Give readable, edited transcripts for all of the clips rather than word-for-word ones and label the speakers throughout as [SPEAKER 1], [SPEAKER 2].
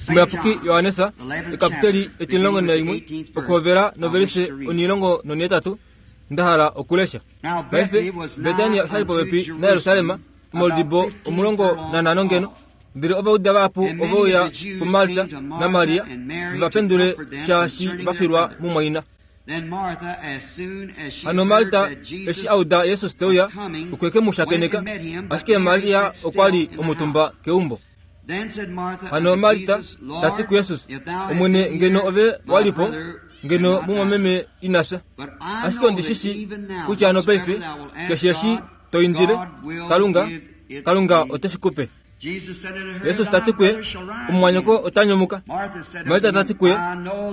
[SPEAKER 1] Omuyapuki Johannes ekapiteli etimulongo naimwe okuhovela novelise 18 nda hala okulesha. Paife Betania osha li popepi naJerusalem, omoludibo 15 ngeno. Ndele Ovajuda vahapu ove uya kuMarta naMaria ve va pendule shaashi va filwa mumwaina. Hano Marta eshi a uda Jesus te uya, okwe ke mu shakeneka, ashike Maria okwa li omutumba keumbo. Hano Marta ta ti kuJesus, Omwene, ngeno ove wa li po, ngeno mumwameme ina fya. Ashike ondi shi shii kutya nopaife keshe eshi to indile Kalunga, Kalunga ote shi ku pe. Jesus ta ti kuye, Omumwanyoko ota nyumuka. Marta ta ti kuye,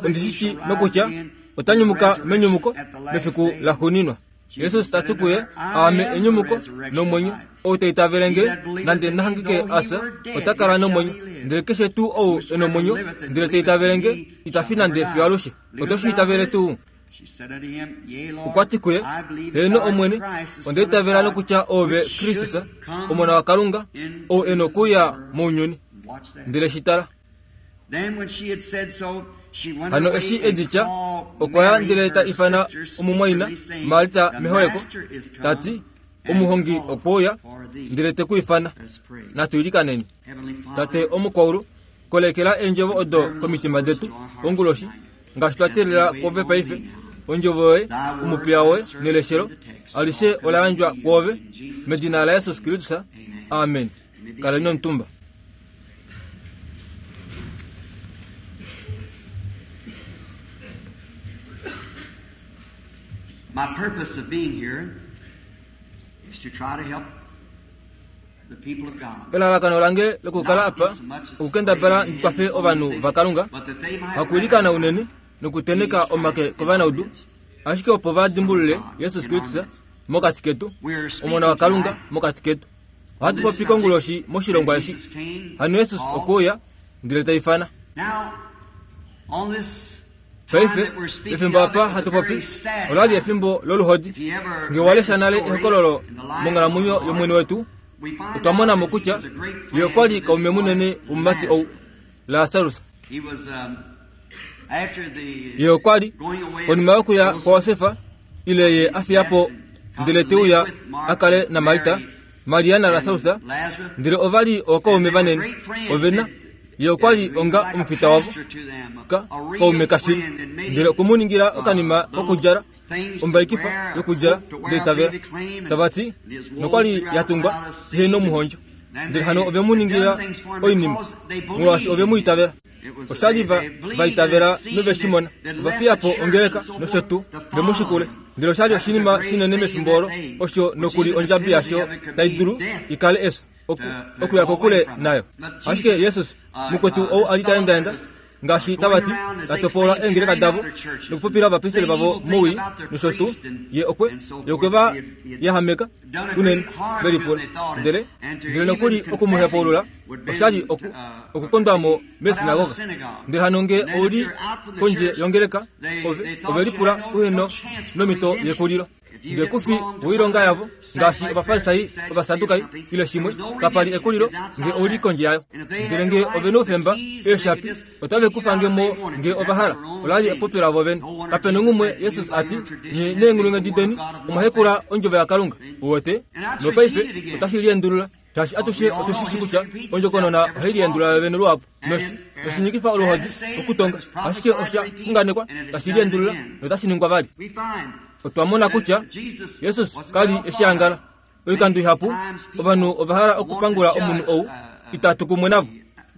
[SPEAKER 1] Ondi shi shii nokutya ota nyumuka menyumuko mefiku laxuuninwa. Jesus ta ti kuye, Aame enyumuko nomwenyo. Ou ta itavele nge, nande na hangike a fya, ota kala nomwenyo. Ndele keshe tuu ou e nomwenyo, ndele ta itavele nge, ita fi nande fiyo alushe. Oto shi itavele tuu? Okwa ti kuye, Heeno Omwene, onda itavela nokutya oove Kristus, Omona waKalunga, ou e nokuuya mounyuni. Ndele shi tala. Hano eshi e di tya, okwa ya ndele ta ifana omumwaina Marta meholeko, ta ti, Omuhongi okwe uya, ndele te ku ifana. Natu ilikaneni. Tate omukwaulu, kolekela eendjovo odo komitima detu konguloshi, ngaashi twa teelela kwoove paife. Ondjovo yoye, omupiya woye neleshelo alishe ola yandjwa kwoove, medina laJesus Kristus. Amen. Kaleni omutumba.
[SPEAKER 2] My purpose of being here is to try to help the people of God.
[SPEAKER 1] Elalakano lange lokukala apa okukendabala ndi kwafe ovanhu vaKalunga, hakuilikana unene nokuteneka omake kovanaudu, ashike opo va dimbulule Jesus Kristus mokati ketu, Omona waKalunga mokati ketu. Ohatu popi konguloshi moshilongwa eshi. Hano Jesus okwe uya ndele ta ifana. Paife, pefimbo apa hatu popi, ola li efimbo loluhodi. Nge wa lesha nale ehokololo monghalamwenyo yOmwene wetu, otwa mona mo kutya ye okwa li kaume munene womumati ou, Lasarus. Ye okwa li, konima yokuya kwaJosef, ile ye a fiya po ndele te uya a kale naMarta, Maria naLasarus, ndele ova li ookaume vanene. Ove na Ye okwa li onga omufita wavo, ka, kaume kashili. Ndele okwe mu ningila okanima kokudjala, ombaikifa yokudjala, ndele tavela. Tava ti, nokwa li ya tungwa ihe nomuhondjo. Ndele hano ove mu ningila oinima, molwaashi ove mu itavela. Osha li va, va itavela nove shi mona. Ova fiya po ongeleka nosho tuu, ve mu shikule. Ndele osha li oshinima shinene mefimbo olo, osho nokuli ondjabi yasho tai dulu i kale efyo. oku, okuya kokule nayo. Ashike Jesus, mukwetu ou a li ta endaenda, ngaashi tava ti, ta topola eengeleka davo nokupopila ovapristeli vavo mowii nosho tuu, ye okwe, ye okwe va yahameka unene, ve lipula. Ndele, ndele nokuli oku mu hepaulula osha li oku, okukondwa mo meesinagoga. Ndele hano nge ou li kondje yongeleka, ove, ove lipula uhe no, nomhito yekulilo. Nge ku fi woilonga yavo, ngaashi Ovafarisai, Ovasadukai, ile shimwe, kapa li ekulilo nge ou li kondje yayo. Ndele nge ove noufemba, eeshapi, otave ku fange mo nge ova hala. Ola li epopyo lavo vene. Kape nongumwe Jesus a ti, Nye neenghulunghedi deni omwa hekula ondjovo yaKalunga. Uwete? Nopaife otashi liendulula. Shaashi atushe otu shi shi kutya ondjokonona ohai liendulula yo vene luhapu, noshi, noshinyikifa oluhodi okutonga, ashike osha xunganekwa tashi liendulula notashi ningwa vali. Otwa mona kutya Jesus ka li eshi angala. Oikando ihapu ovanhu ova hala okupangula omunhu ou itatu kumwe navo.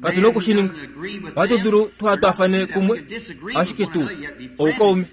[SPEAKER 1] Katu na oku shi ninga. Ohatu dulu tuha twaafane kumwe, ashike tu oukaume.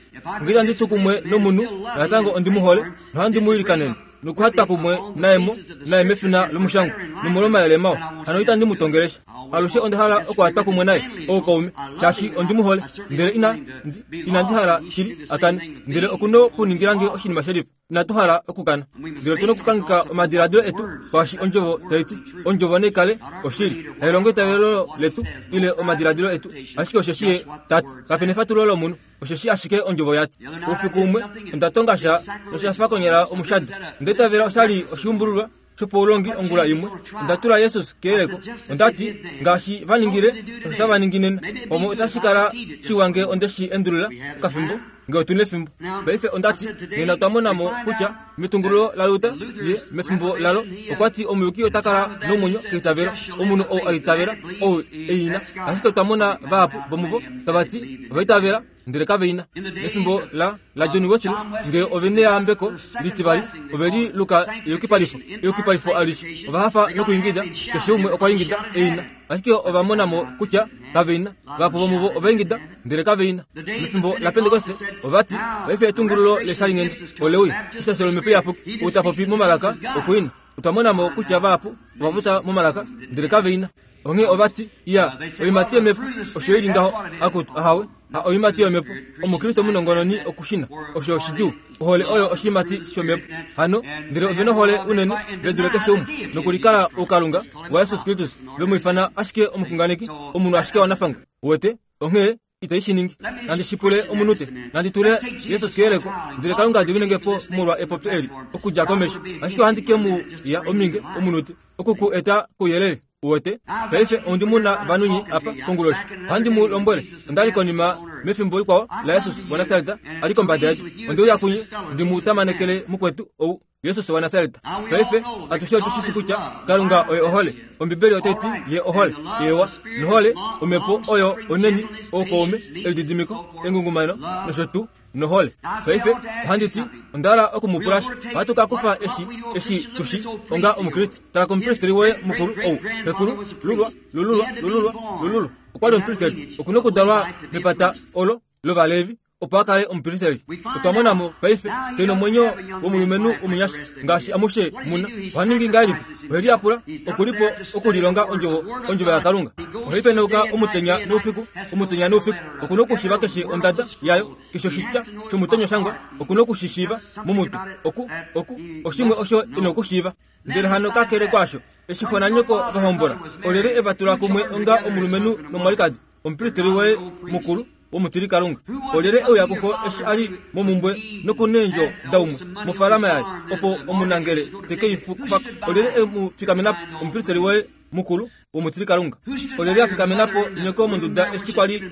[SPEAKER 1] Nge itandi tu kumwe nomunhu, natango ondi mu hole nohandi mu ilikanene. Nokuhatwa kumwe naye mo, naye mefina lomushangwa nomolwomayele mawa. Hano itandi mu tongele sha. Alushe onda hala okuhatwa kumwe naye, oukaume, shaashi ondi mu hole. Ndele ina, ndi, inandi hala shili a kane. Ndele oku nokuningila nge oshinima shelifa. Inatu hala okukana. Ndele otu nokukangeka omadiladilo etu kwaashi Ondjovo tai ti. Ondjovo nai kale oshili. Hailongo eitavelo letu ile omadiladilo etu, ashike osheshi Ye ta ti. Kape nefatululo lomunhu. Osheshi ashike Ondjovo ya ti. Oufiku umwe, onda tonga sha, nosha fa konyala omushado. Onda itavela osha li oshiumbululwa. shopaulongi ongula imwe, onda tula Jesus keyeleko. Onda ti, Ngaashi va ningile, osho tava ningi nena. Pamwe otashi kala shiwa nge onde shi endulula okafimbo, nge otu nefimbo. Paife onda ti, nena otwa mona mo kutya metungululo laLuther, ye, mefimbo lalo, okwa ti omuyuki ota kala nomwenyo keitavelo. Omunhu ou a itavela, ou e i na. Ashike otwa mona vahapu vomuvo tava ti ova itavela, ndele kave i na. Mefimbo la, laJohn Wesley, nge ove neyambeko litivali, ove li luka eyukipalifo, eyukipalifo alishe. Ova hafa nokuingida, keshe umwe okwa ingida e i na. Ashike ova mona mo kutya kave i na. Vahapu vomuvo ova ingida, ndele kave i na. Mefimbo laPentekoste, ova ti, Paife etungululo leshalinghenda ole uya, eshasho lOmhepo Iyapuki, ou ta popi momalaka oku i na. Otwa mona mo kutya vahapu ova popya momalaka, ndele kave i na. Onghee ova ti, Iya, oiimati yOmhepo osho i li ngaho. Akutu, ahawe, ha oiimati yOmhepo. Omukriste omunongononi oku shi na. Osho oshidjuu. Ohole oyo oshiimati shOmhepo. Hano, ndele ove nohole unene ve dule keshe umwe, nokulikala oukalunga waJesus Kristus, ve mu ifana ashike omuxunganeki, omunhu ashike wanafangwa. Uwete? Onghee itai shi ningi. Nandi shi pule omunute. Nandi tule Jesus keyeleko, ndele Kalunga a diminenge po molwa epopyo eli, okudja komesho. Ashike ohandi ke mu ya ominge, omunute, oku ku eta kouyelele. Uwete? Paife ondi mu na vanunyi apa konguloshi. Ohandi mu lombwele, onda li konima mefimbo likwao laJesus waNasaret a li kombada yedu. Onde uya kunye ndi mu tamanekele mukwetu ou. Jesus waNasaret. Paife atushe otu shi shi kutya Kalunga oye ohole. Ombibeli otai ti ye ohole. Ewa, nohole, omhepo oyo oneni, oukaume, elididimiko, engungumano nosho tuu, nohole. Paife ohandi ti, onda hala oku mu pula sha. Ohatu ka kufa eshi, eshi tu shi, onga Omukriste. Tala komupristeri woye mukulu ou, xekulu, lulwa, lululwa, lululwa, lululwa. Okwa li omupristeri. Oku nokudalwa mepata olo lOvalevi. opo a kale omupristeri. Otwa mona mo paife ke nomwenyo womulumenhu omunyasha ngaashi amushe mu na. Oha ningi ngahelipi? Ohe liyapula, oku li po okulilonga ondjovo, ondjovo yaKalunga. Ohe penauka omutenya noufiku, omutenya noufiku. Oku na okushiiva keshe ondada yayo, keshe oshitya shomutenya oshangwa, oku na oku shi shiiva momutwe. Oku, oku, oshimwe osho e na okushiiva. Ndele hano kakele kwaasho, eshi xo nanyoko va hombola, olyelye e va tula kumwe onga omulumenhu nomwalikadi? Omupristeri woye mukulu womutilikalunga. Olyelye e uya kuxo eshi a li momumbwe nokuneendjo daumwe mofaalama yaye, opo omunangele te ke i kufa ko? Olyelye e mu fikamena po? Omupristeri woye mukulu womutilikalunga. Olyelye a fikamena po nyoko monduda eshi kwa li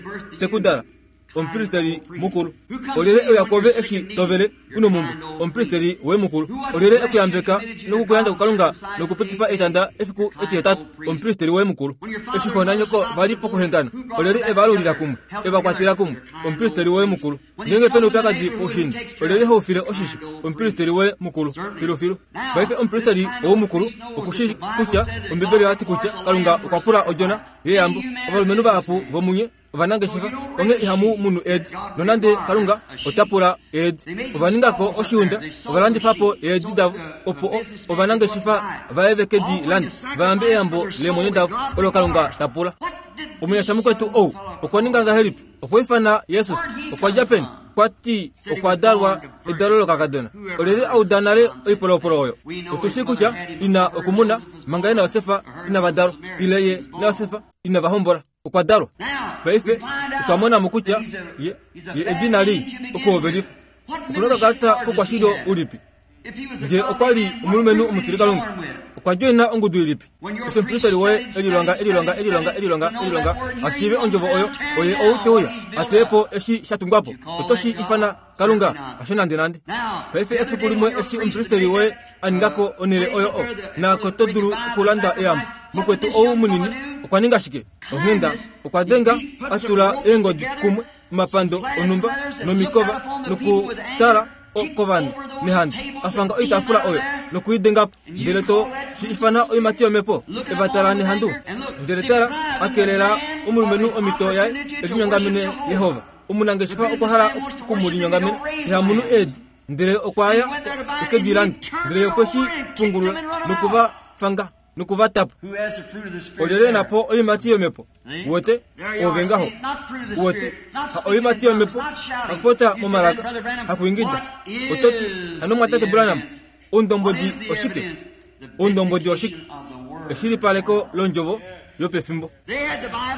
[SPEAKER 1] te ku dala? Omupristeri mukulu. Olyelye e uya kwoove eshi to vele u nomumbwe? Omupristeri woye mukulu. Olyelye e ku yambeka noku ku yandja kuKalunga nokupitifa etanda efiku etihetatu? Omupristeri woye mukulu. Eshi xo nanyoko va li pokuhengana, olyelye e va alulila kumwe, e va kwatela kumwe? Omupristeri woye mukulu. Ngeenge pe na oupyakadi poushiinda, olyelye ho u file oshisho? Omupristeri woye mukulu. Filufilu. Paife omupristeri ou mukulu oku shii kutya Ombibeli oya ti kutya Kalunga okwa pula odjona yeyambo. Ovalumenhu vahapu vomunye ovanangeshefa onghee ihamu munu eedi nonande Kalunga ota pula eedi. Ova ninga ko oshiunda, ova landifa po eedi davo opo ovanangeshefa vaye ve ke di lande va yambe eyambo leemwenyo davo olo Kalunga ta pula. Omunyasha mukwetu ou okwa ninga ngahelipi? Okwa ifana Jesus. Okwa dja peni? Okwa ti okwa dalwa edalo lokakadona. Olyelye a uda nale oipolopolo oyo? Otu shii kutya ina okumuna manga ye naJosef inava dalwa, ile ye naJosef inava hombola. Okwa dalwa. Paife otwa mona mo kutya ye, ye edina lii okuhovelifa. Oku na okakalata kokwashilyo ulipi? Nge okwa li omulumenhu omutilikalunga, okwa djoina ongudu ilipi? Eshi omupristeri woye e lilonga, e lilonga, e lilonga, e lilonga, e lilonga, a shiive ondjovo oyo, oye ou te uya, a teye po eshi sha tungwa po. Oto shi ifana Kalunga? Hasho nandenande. Paife efiku limwe eshi omupristeri woye a ninga ko onhele oyo o na ko to dulu okulanda eyambo, mukwetu ou munini okwa ninga shike? Onghenda, okwa denga, a tula eengodi kumwe, omapando onhumba nomikova, nokutala kovanhu nehandu, a fanga oitaafula oyo noku i denga po, ndele to shi ifana oimati yomhepo. E va tala nehandu, ndele tala, a kelela omulumenhu omhito yaye e linyongamene Jehova. Omunangeshefa okwa hala oku mu linyongamena, iha munu eedi, ndele okwa ya e ke di lande, ndele okwe shi pungulula noku va fanga noku va tapa. Olyelye e na po oiimati yomhepo? Uwete? Ove ngaho. Uwete? Ha oiimati yomhepo, hakupopya momalaka, hakuingida. Oto ti, Hano Mumwatate Branham, oundombwedi oshike? Oundombwedi oshike? Eshilipaleko londjovo yopefimbo.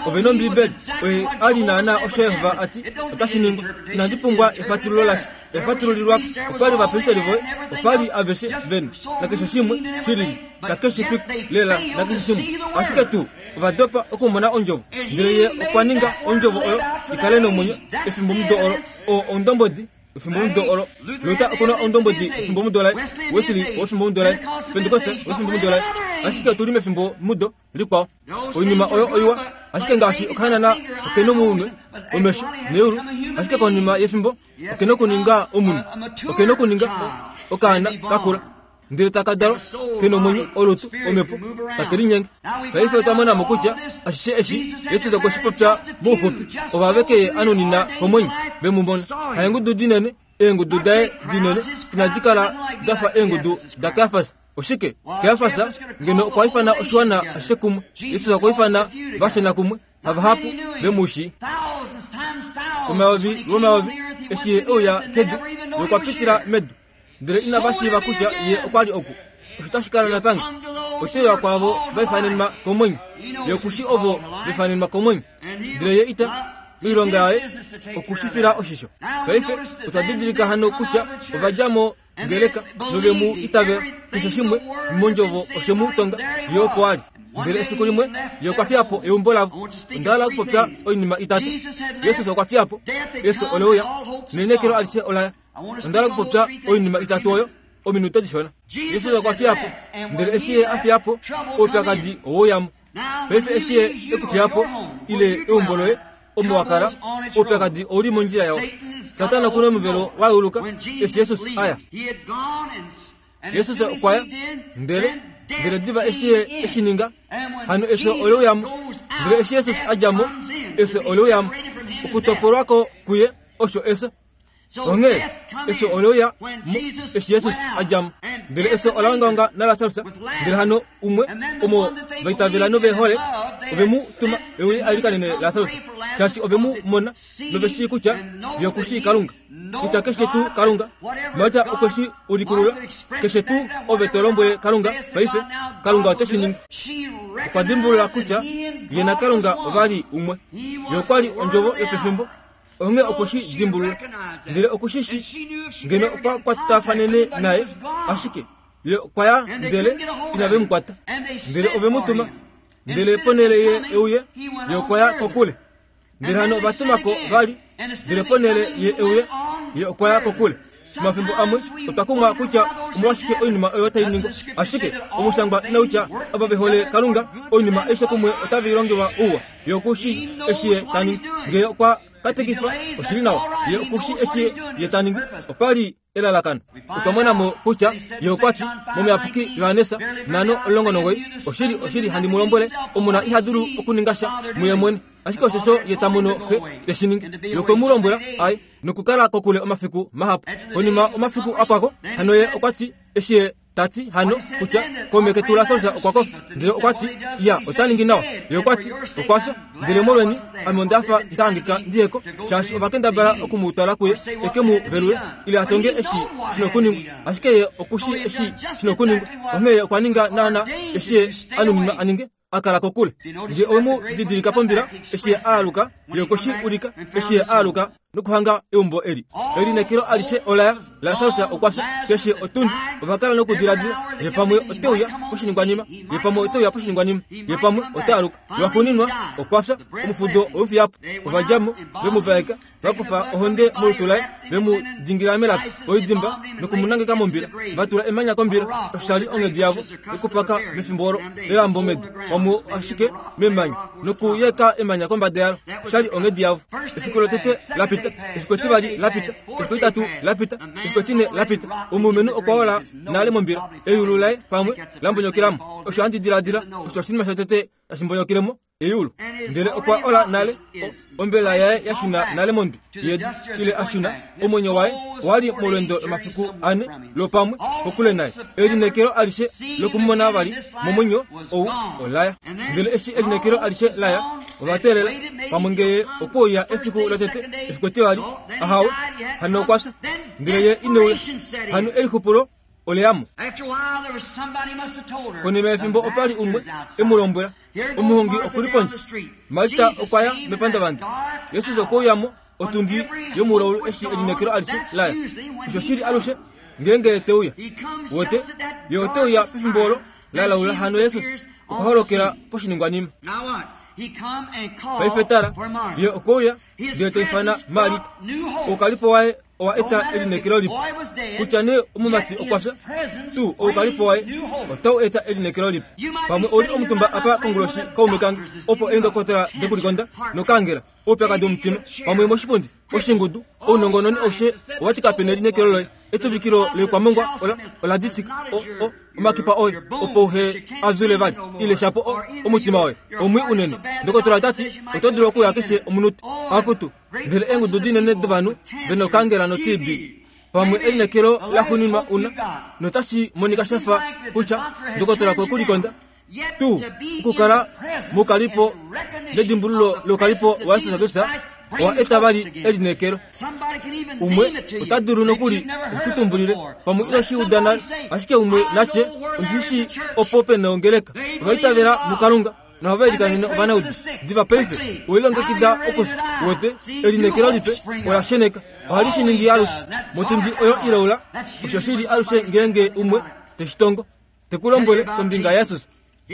[SPEAKER 1] Ove nOmbiibeli, oye a li naanaa osho Jehova a ti otashi ningwa. Inandi pumbwa efatululo lasha. Oya fatululilwa opa li ovapristeri voye, opa li aveshe vena nakeshe shimwe shilili shakeshe fiku lela nakeshe shimwe. Ashike tuu ova dopa okumona Ondjovo. Ndele Ye okwa ninga Ondjovo oyo i kale nomwenyo efimbomudo olo. Oo oundombwedi wefimbomudo olo. Luther oku na oundombwedi wefimbomudo laye, Wesley owefimbomudo laye, Pentekoste owefimbomudo laye. Ashike otu li mefimbomudo likwao. Oinima oyo oiwa, ashike ngaashi okahanana oke nomunwe, omesho neyulu, ashike konima yefimbo oke nokuninga omunhu, oke nokuninga okaana ka kula, ndele taka dalwa ke nomwenyo, olutu, omhepo, take linyenge. Paife otwa mona mo kutya ashishe eshi Jesus okwe shi popya mouxupi, ovava ke ye a nunina komwenyo, ve mu mona. Haengudu dinene, eengudu daye dinene inadi kala da fa eengudu daKajafas. Oshike? Kajafas ngeno okwa ifana oshiwana ashishe kumwe. Jesus okwa ifana vashona kumwe, havahapu ve mu shii. Omayovi lwomayovi eshi ye e uya kedu, ye okwa pitila medu, ndele inava shiiva kutya ye okwa li oku. Osho tashi kala natango. Ote uya kwaavo va ifanenwa komwenyo. Ye oku shii ovo va ifanenwa komwenyo. Ndele ye ita, moilonga yaye, oku shi fila oshisho. Paife otwa didilika hano kutya ova dja mo ngeleka nove mu itavela keshe shimwe mondjovo oshe mu tonga ye opo a li. Ndele efiku limwe ye okwa fiya po eumbo lavo. Onda hala okupopya oinima itatu. Jesus okwa fiya po, efyo ole uya, nelineekelo alishe ola ya. Onda hala okupopya oinima itatu oyo ominute dishona. Jesus okwa fiya po, ndele eshi ye a fiya po, oupyakadi owe uya mo. Paife eshi ye e ku fiya po, ile eumbo loye, omo wa kala, oupyakadi ou li mondjila yao. Satana oku na omuvelo wa yeuluka eshi Jesus a ya. Jesus okwa ya, ndele, ndele diva eshi ye e shi ninga, hano efyo ole uya mo. Ndele eshi Jesus a dja mo, efyo ole uya mo. Okutopolwa ko kuye osho efyo. Onghee efyo ole uya mo eshi Jesus a dja mo. Ndele efyo ola ongaonga naLasarus, ndele hano umwe omo va itavela nove hole ove mu tuma e uye a ilikanene Lasarus, shaashi ove mu mona nove shii kutya ye oku shii Kalunga, kutya keshe tuu Kalunga, Marta okwe shi ulikulula, keshe tuu ove to lombwele Kalunga paife, Kalunga ote shi ningi. Okwa dimbulula kutya ye naKalunga ova li umwe. Ye okwa li Ondjovo yopefimbo. Onghee okwe shi dimbulula, ndele oku shi shi ngeno okwa kwatafanene naye, ashike ye okwa ya ndele inave mu kwata. Ndele ove mu tuma, ndele ponhele ye e uye, ye okwa ya kokule. Ndele hano ova tuma ko vali, ndele ponhele ye e uye, ye okwa ya kokule. Omafimbo amwe otwa kumwa kutya omolwashike oinima oyo tai ningwa, ashike omushangwa inau tya ava ve hole Kalunga oinima aishe kumwe otave i longelwa ouwa. Ye oku shii eshi ye ta ningi. Ngee okwa katekifa, oshi li nawa. Ye oku shii eshi ye ta ningi. Opa li elalakano. Otwa mona mo kutya ye okwa ti, mOmuyapuki Johannes 5:19, Oshili, oshili, handi mu lombwele, Omona iha dulu okuninga sha muye mwene, ashike oshosho ye ta mono Xe te shi ningi. Ye okwe mu lombwela a ye nokukala kokule omafiku mahapu. Konima omafiku a pwa ko, hano ye okwa ti, eshi ye ta ti hano kutya kaume ketu Lasarus okwa kofa. Ndele okwa ti, Ya, ota ningi nawa. Ye okwa ti, Okwa fya. Ndele molweni, ame onda fa nda hangika ndi ye ko, shaashi ova kendabala oku mu twala kuye e ke mu velule, ile a tonge eshi shi nokuningwa. Ashike ye oku shii eshi shi nokuningwa, onghee ye okwa ninga naanaa eshi ye a nuninwa a ninge. a kala kokule. Nge owe mu didilika pombila eshi ye a aluka, ye okwe shi ulika eshi ye a aluka nokuhanga eumbo eli. Elineekelo alishe ola ya. Lasarus okwa fya. Keshe otundi ova kala nokudiladila, Ye pamwe ote uya poshiningwanima, ye pamwe ote uya poshiningwanima, ye pamwe ota aluka. Lwaxuuninwa okwa fya. Omufudo owe mu fiya po. Ova dja mo, ve mu vaeka. Va kufa ohonde molutu laye, ve mu dingila melapi oidimba noku mu nangeka mombila. Va tula emanya kombila. Osho sha li onghedi yavo yokupaka mefimbo olo, elambo medu, omo ashike memanya, nokuyeka emanya kombada yalo. Osha li onghedi yavo. Efiku lotete la pita, efiku etivali la pita, efiku etitatu la pita, efiku etine la pita. Omulumenhu okwa ola nale mombila, eyulu laye pamwe la mbonyokela mo. Osho handi diladila osho oshinima shotete tashi mbonyokele mo. Eyulu. Ndele okwa ola nale, ombela yaye ya shuna nale mondwi yedu, ile a shuna, omwenyo waye owa li molweendo lomafiku ane lwopamwe kokule naye. Elineekelo alishe lokumumona vali momwenyo ou ola ya. Ndele eshi elineekelo alishe la ya, ova teelela pamwe ngee okwe uya efiku lotete, efiku etivali, ahawe, hano okwa fya, ndele ye ine uya. Hano elixupulo oleyamo. Konima yefimbo opa li umwe e mu lombwela, Omuhongi oku li pondje. Marta okwa ya mepandavanda. Jesus okwe uya mo. Otundi yomulaulu eshi elineekelo alishe laya. Osho shili alushe ngeenge te uya. Wote, ye ote uya pefimbo olo la laula hano Jesus okwa holokela poshiningwanima. Paife tala, ye okwe uya ndele ta ifana Marita. Oukalipo waye owa eta elineekelo lipe. Kutya nee omumati okwa fya, tuu oukalipo waye otau eta elineekelo lipe. Pamwe ou li omutumba apa konguloshi kaume kange, opo eendokotola dekulikonda nokaangela, oupyakadi womutima, pamwe moshipundi, oshingudu, ounongononi aushe owa ti kape nelineekelo loye. Etuvikilo loikwamongwa ola, ola ditika o, o, omakipa oye, opo uhe a vyule vali, ile shapo o, omutima woye omwii unene. Ndokotola ota ti, Oto dulu okuya keshe omunute. Akutu, ndele eengudu dinene dovanhu ve nokangela no-TB, pamwe elineekelo laxuuninwa una, notashi monika sha fa kutya ndokotola kwe ku likonda tuu okukala mukalipo nedimbululo loukalipo waJesus Kristus owa eta vali elineekelo. Umwe ota dulu nokuli okutumbulile pamwe ino shi uda nale, ashike umwe natye ondi shi opo pe nongeleka. Ova itavela muKalunga nohava ilikanene ovanaudu. Diva paife owe lilongekida okufya. Uwete, elineekelo lipe ola sheneka. Ohali shi ningi alushe. Motundi oyo ilaula, osho shi li alushe ngeenge umwe te shi tongo. Te ku lombwele kombinga yaJesus.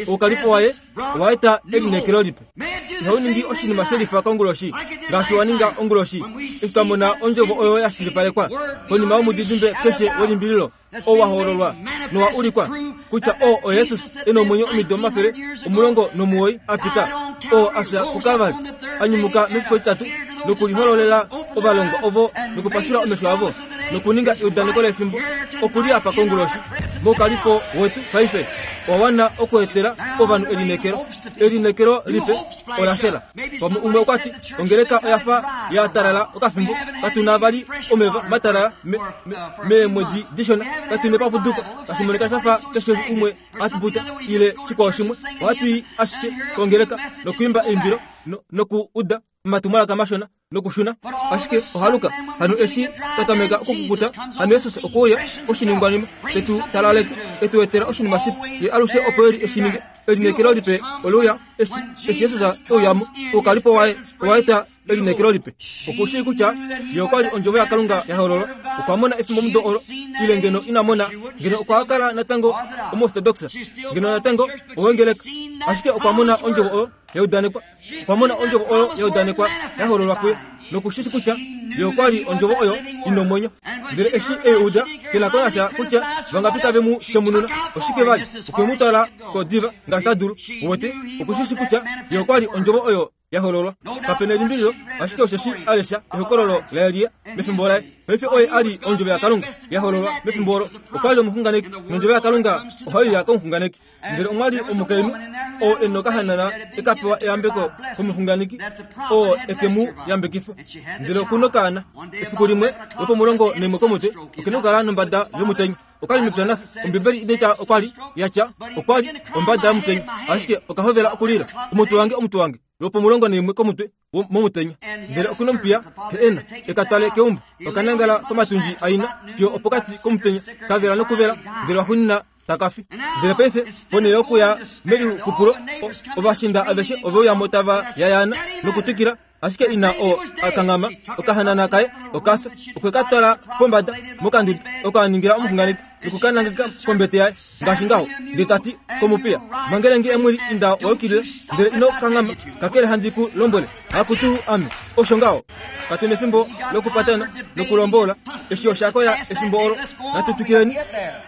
[SPEAKER 1] Oukalipo waye owa eta elineekelo lipe. Ihau ningi oshinima she lifa konguloshi ngaashi wa ninga onguloshi eshi twa mona ondjovo oyo ya shilipalekwa konima yomudidimbe keshe welimbililo oo wa hoololwa nowa ulikwa kutya oo oJesus e na omwenyo omido 190 a pita, oo a fya kuKalvari, a nyumuka mefiku etitatu nokulihololela ovalongwa ovo nokupashula omesho avo nokuninga eudaneko lefimbo oku li apa konguloshi moukalipo wetu paife owa wana okweetela ovanhu elineekelo. Elineekelo lipe ola shela. Pamwe umwe okwa ti, Ongeleka oya fa ya talala okafimbo, katu na vali omeva matalala me, me, meemwedi dishona, katu nepapuduko, tashi monika sha fa keshe umwe a mbuta ile shikwao shimwe. Ohatu i ashike kongeleka nokwiimba eimbilo no, noku uda omatumwalaka mashona nokushuna. Ashike ohaluka, hano eshi twa tameka okukukuta, hano Jesus okwe uya koshiningwanima, te tu talaleke, e tu etela oshinima shipe. Ye alushe opo e li e shi ninge. Elineekelo lipe ole uya eshi, eshi Jesus e uya mo. Oukalipo waye owa eta elineekelo lipe. Oku shii kutya ye okwa li Ondjovo yaKalunga ya hololwa. Okwa mona efimbomudo olo, ile ngeno ina mona, ngeno okwa kala natango Omuortodoks, ngeno natango owengeleka. Ashike okwa mona Ondjovo oyo ya udanekwa. Okwa mona Ondjovo oyo ya udanekwa ya hololwa kuye, noku shi shi kutya Ye okwa li Ondjovo oyo i nomwenyo. Ndele eshi e i uda, ke na ko nasha kutya vangapi tave mu shemununa, oshike vali, okwe mu twala ko diva ngaashi ta dulu. Uwete, oku shi shi kutya Ye okwa li Ondjovo oyo ya hololwa. Kape nelimbililo, ashike osheshi a lesha ehokololo laElia mefimbo laye. Paife oye a li Ondjovo yaKalunga ya hololwa mefimbo olo. Okwa li omuxunganeki, nOndjovo yaKalunga ohai uya komuxunganeki. Ndele omwa li omukainhu oo e nokahanana e ka pewa eyambeko komuxunganeki oo e ke mu yambekifa. Ndele oku nokaana. Efiku limwe lwopomulongo naimwe komutwe oke nokukala nombada yomutenya. Oka li mepya naxe. Ombibeli inai tya okwa li ya tya okwa li ombada yomutenya, ashike oka hovela okulila, Omutwe wange, omutwe wange! Lwopomulongo naimwe komutwe momutenya. Ndele oku nomupiya he e na e ka twale keumbo. Oka nangala komatundji aina fiyo opokati komutenya, ka vela nokuvela, ndele waxuuninwa taka fi. Ndele paife, ponhele yokuya melixupulo, ovashinda aveshe ove uya mo tava yayaana nokutwikila, ashike ina oo a kanghama okahanana kaye oka fya. Okwe ka twala pombada mokanduda oko a ningila omuxunganeki noku ka nangeka kombete yaye ngaashi ngaho, ndele ta ti komupiya, Mangele nge emwili inda wa yukilila, ndele ino kanghama, kakele handi ku lombwele. Akutu ame, osho ngaho. Katu nefimbo lokupatana nokulombola. Eshi osha koya efimbo olo. Natu twikileni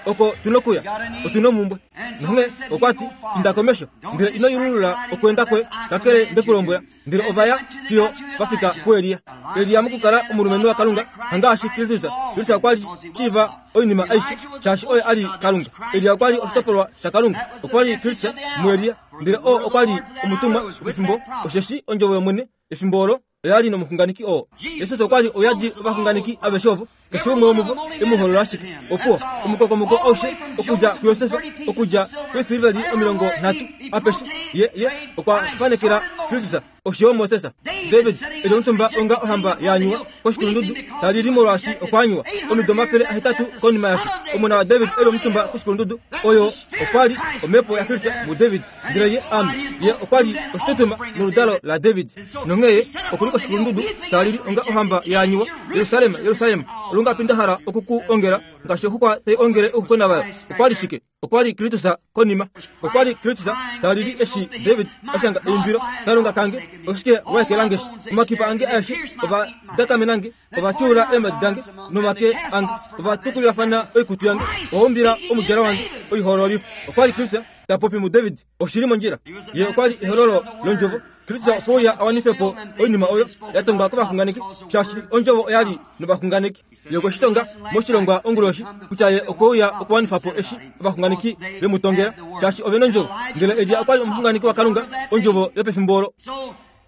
[SPEAKER 1] oko tu nokuya. Otu nomhumbwe. Nonghee okwa ti, Inda komesho, ndele ino yululula okweenda kwoye, kakele nde ku lombwela. Ndele ova ya fiyo va fika kuElia. Elia mokukala omulumenhu waKalunga, hangaashi Kristus. Kristus okwa li shiiva oinima aishe, shaashi oye a li Kalunga. Elia okwa li oshitopolwa shaKalunga. Okwa li Kristus muElia. Ndele oo okwa li omutumwa wopefimbo, osheshi Ondjovo yOmwene efimbo olo oya li nomuxunganeki oo. Jesus okwa li ouyadi ovaxunganeki aveshe ovo, keshe umwe womuvo e mu holola ashike. Opuwo, omukokomoko aushe okudja kuJosef, okudja kweesiliveli 30, apeshe, ye, ye okwa fanekela Kristus. Osho yo Moses. David e li omutumba onga ohamba ya anyuwa koshikulundudu, ta lili molwaashi okwa anyuwa. Omido 800 konima yasho, omona waDavid e li omutumba koshikulundudu, oyo okwa li omhepo yaKristus muDavid. Ndele ye, ame, ye okwa li oshitutuma noludalo laDavid. Nonghee ye oku li koshikulundudu, ta lili onga ohamba ya anyuwa, Jerusalem, Jerusalem, olungapi nda hala oku ku ongela ngaashi oxuxwa tai ongele ouxuxwena vayo. Okwa li shike? Okwa li Kristus konima. Okwa li Kristus ta lili eshi David a shanga eimbilo, Kalunga kange, oshike wa ekela nge shi? Omakipa ange aeshe ova dakamena nge, ova tyuula eemhadi dange nomake ange, ova tukulilafana oikutu yange, ova umbila omudjalo wange oihoololifo. Okwa li Kristus ta popi muDavid. Oshi li mondjila. Ye okwa li ehololo lOndjovo. Kristus okwe uya a wanife po oinima oyo ya tongwa kovaxunganeki, shaashi Ondjovo oya li novaxunganeki. Ye okwe shi tonga moshilongwa onguloshi kutya ye okwe uya okuwanifa po eshi ovaxunganeki ve mu tongela, shaashi ove nondjovo. Ndele Elia okwa li omuxunganeki waKalunga, ondjovo yopefimbo olo.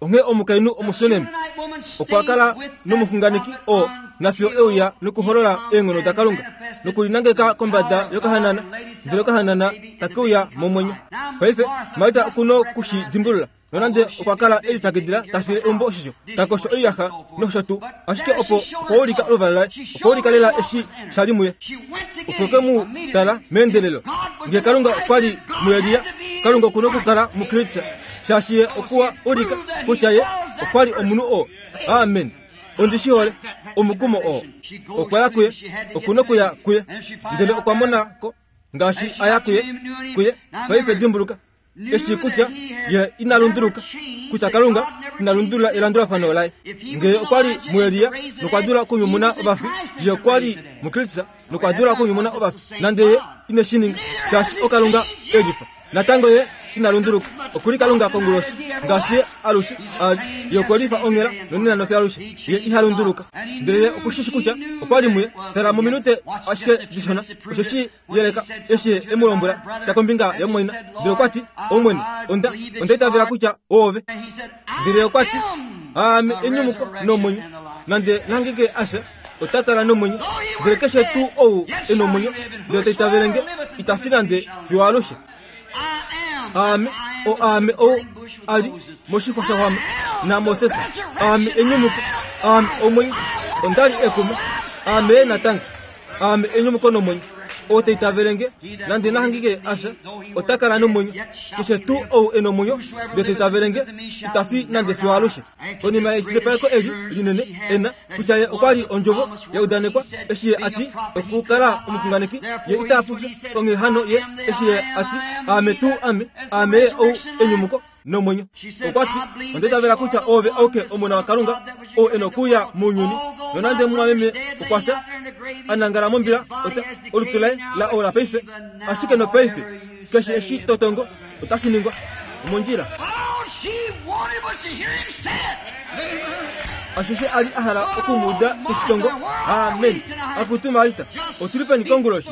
[SPEAKER 1] Onghee omukainhu Omusunem okwa kala nomuxunganeki oo nafiyo e uya nokuholola eenghono daKalunga nokulinangeka kombada yokahanana, ndele okahanana take uya momwenyo. Paife Marta oku noku shi dimbulula. Nonande okwa kala e lipyakidila ta file eumbo oshisho, ta kosho oiyaxa nosho tuu, ashike opo okwa ulika oluvalo laye, okwa ulika lela eshi sha li muye. Okwe ke mu tala meendelelo. Nge Kalunga okwa li muElia, Kalunga oku nokukala muKristus, shaashi ye okwa ulika kutya ye okwa li omunhu oo. Amen. Ondi shi hole, omukumo oo. Okwa ya kuye, oku nokuya kuye. Ndele okwa mona ko ngaashi a ya kuye, kuye. Paife dimbuluka, eshi kutya ye ina lunduluka, kutya Kalunga ina lundulula elandulafano laye. Ngee okwa li muElia nokwa dula okunyumuna ovafi, ye okwa li muKristus nokwa dula okunyumuna ovafi, nande ye ine shi ninga, shaashi oKalunga e lifa. Natango ye ina lunduluka. Oku li Kalunga konguloshi, ngaashi ye alushe a li. Ye okwe lifa onghela nonena nofiyo alushe. Ye iha lunduluka. Ndele ye oku shi shi kutya okwa li muye. Tala mominute ashike dishona, osho shi yeleka eshi ye e mu lombwela sha kombinga yamumwaina. Ndele okwa ti, Omwene, onda, onda itavela kutya oove. Ndele ye okwa ti, Aame enyumuko nomwenyo. Nande nangenge a fya, ota kala nomwenyo. Ndele keshe tuu ou e nomwenyo, ndele ta itavele nge, ita fi nande fiyo alushe. Aame, o aame ou a li moshixwa sha xwama naMoses. Aame enyumuko, aame omwenyo. Onda li ekuma, aame natango. Aame enyumuko nomwenyo. Ou ta itavele nge, nande na hangike a fya, ota kala nomwenyo. Keshe tuu ou e nomwenyo, ndele ta itavele nge, ita fi nande fiyo alushe. Konima yeshilipaleko eli linene e na, kutya ye okwa li ondjovo ya udanekwa, eshi ye a ti okukala omuxunganeki, ye ita fufya. Onghee hano ye eshi ye a ti, Aame tuu ame, aame ye ou enyumuko nomwenyo. Okwa ti, Onda itavela kutya oove auke Omona waKalunga, ou e nokuuya mounyuni. Nonande mumwameme okwa fya, a nangala mombila, ota, olutu laye la ola paife, ashike nopaife, keshe eshi to tongo, otashi ningwa. Omondjila. Ashishe a li a hala oku mu uda te shi tongo. Amen. Akutu Marita, otu li peni konguloshi?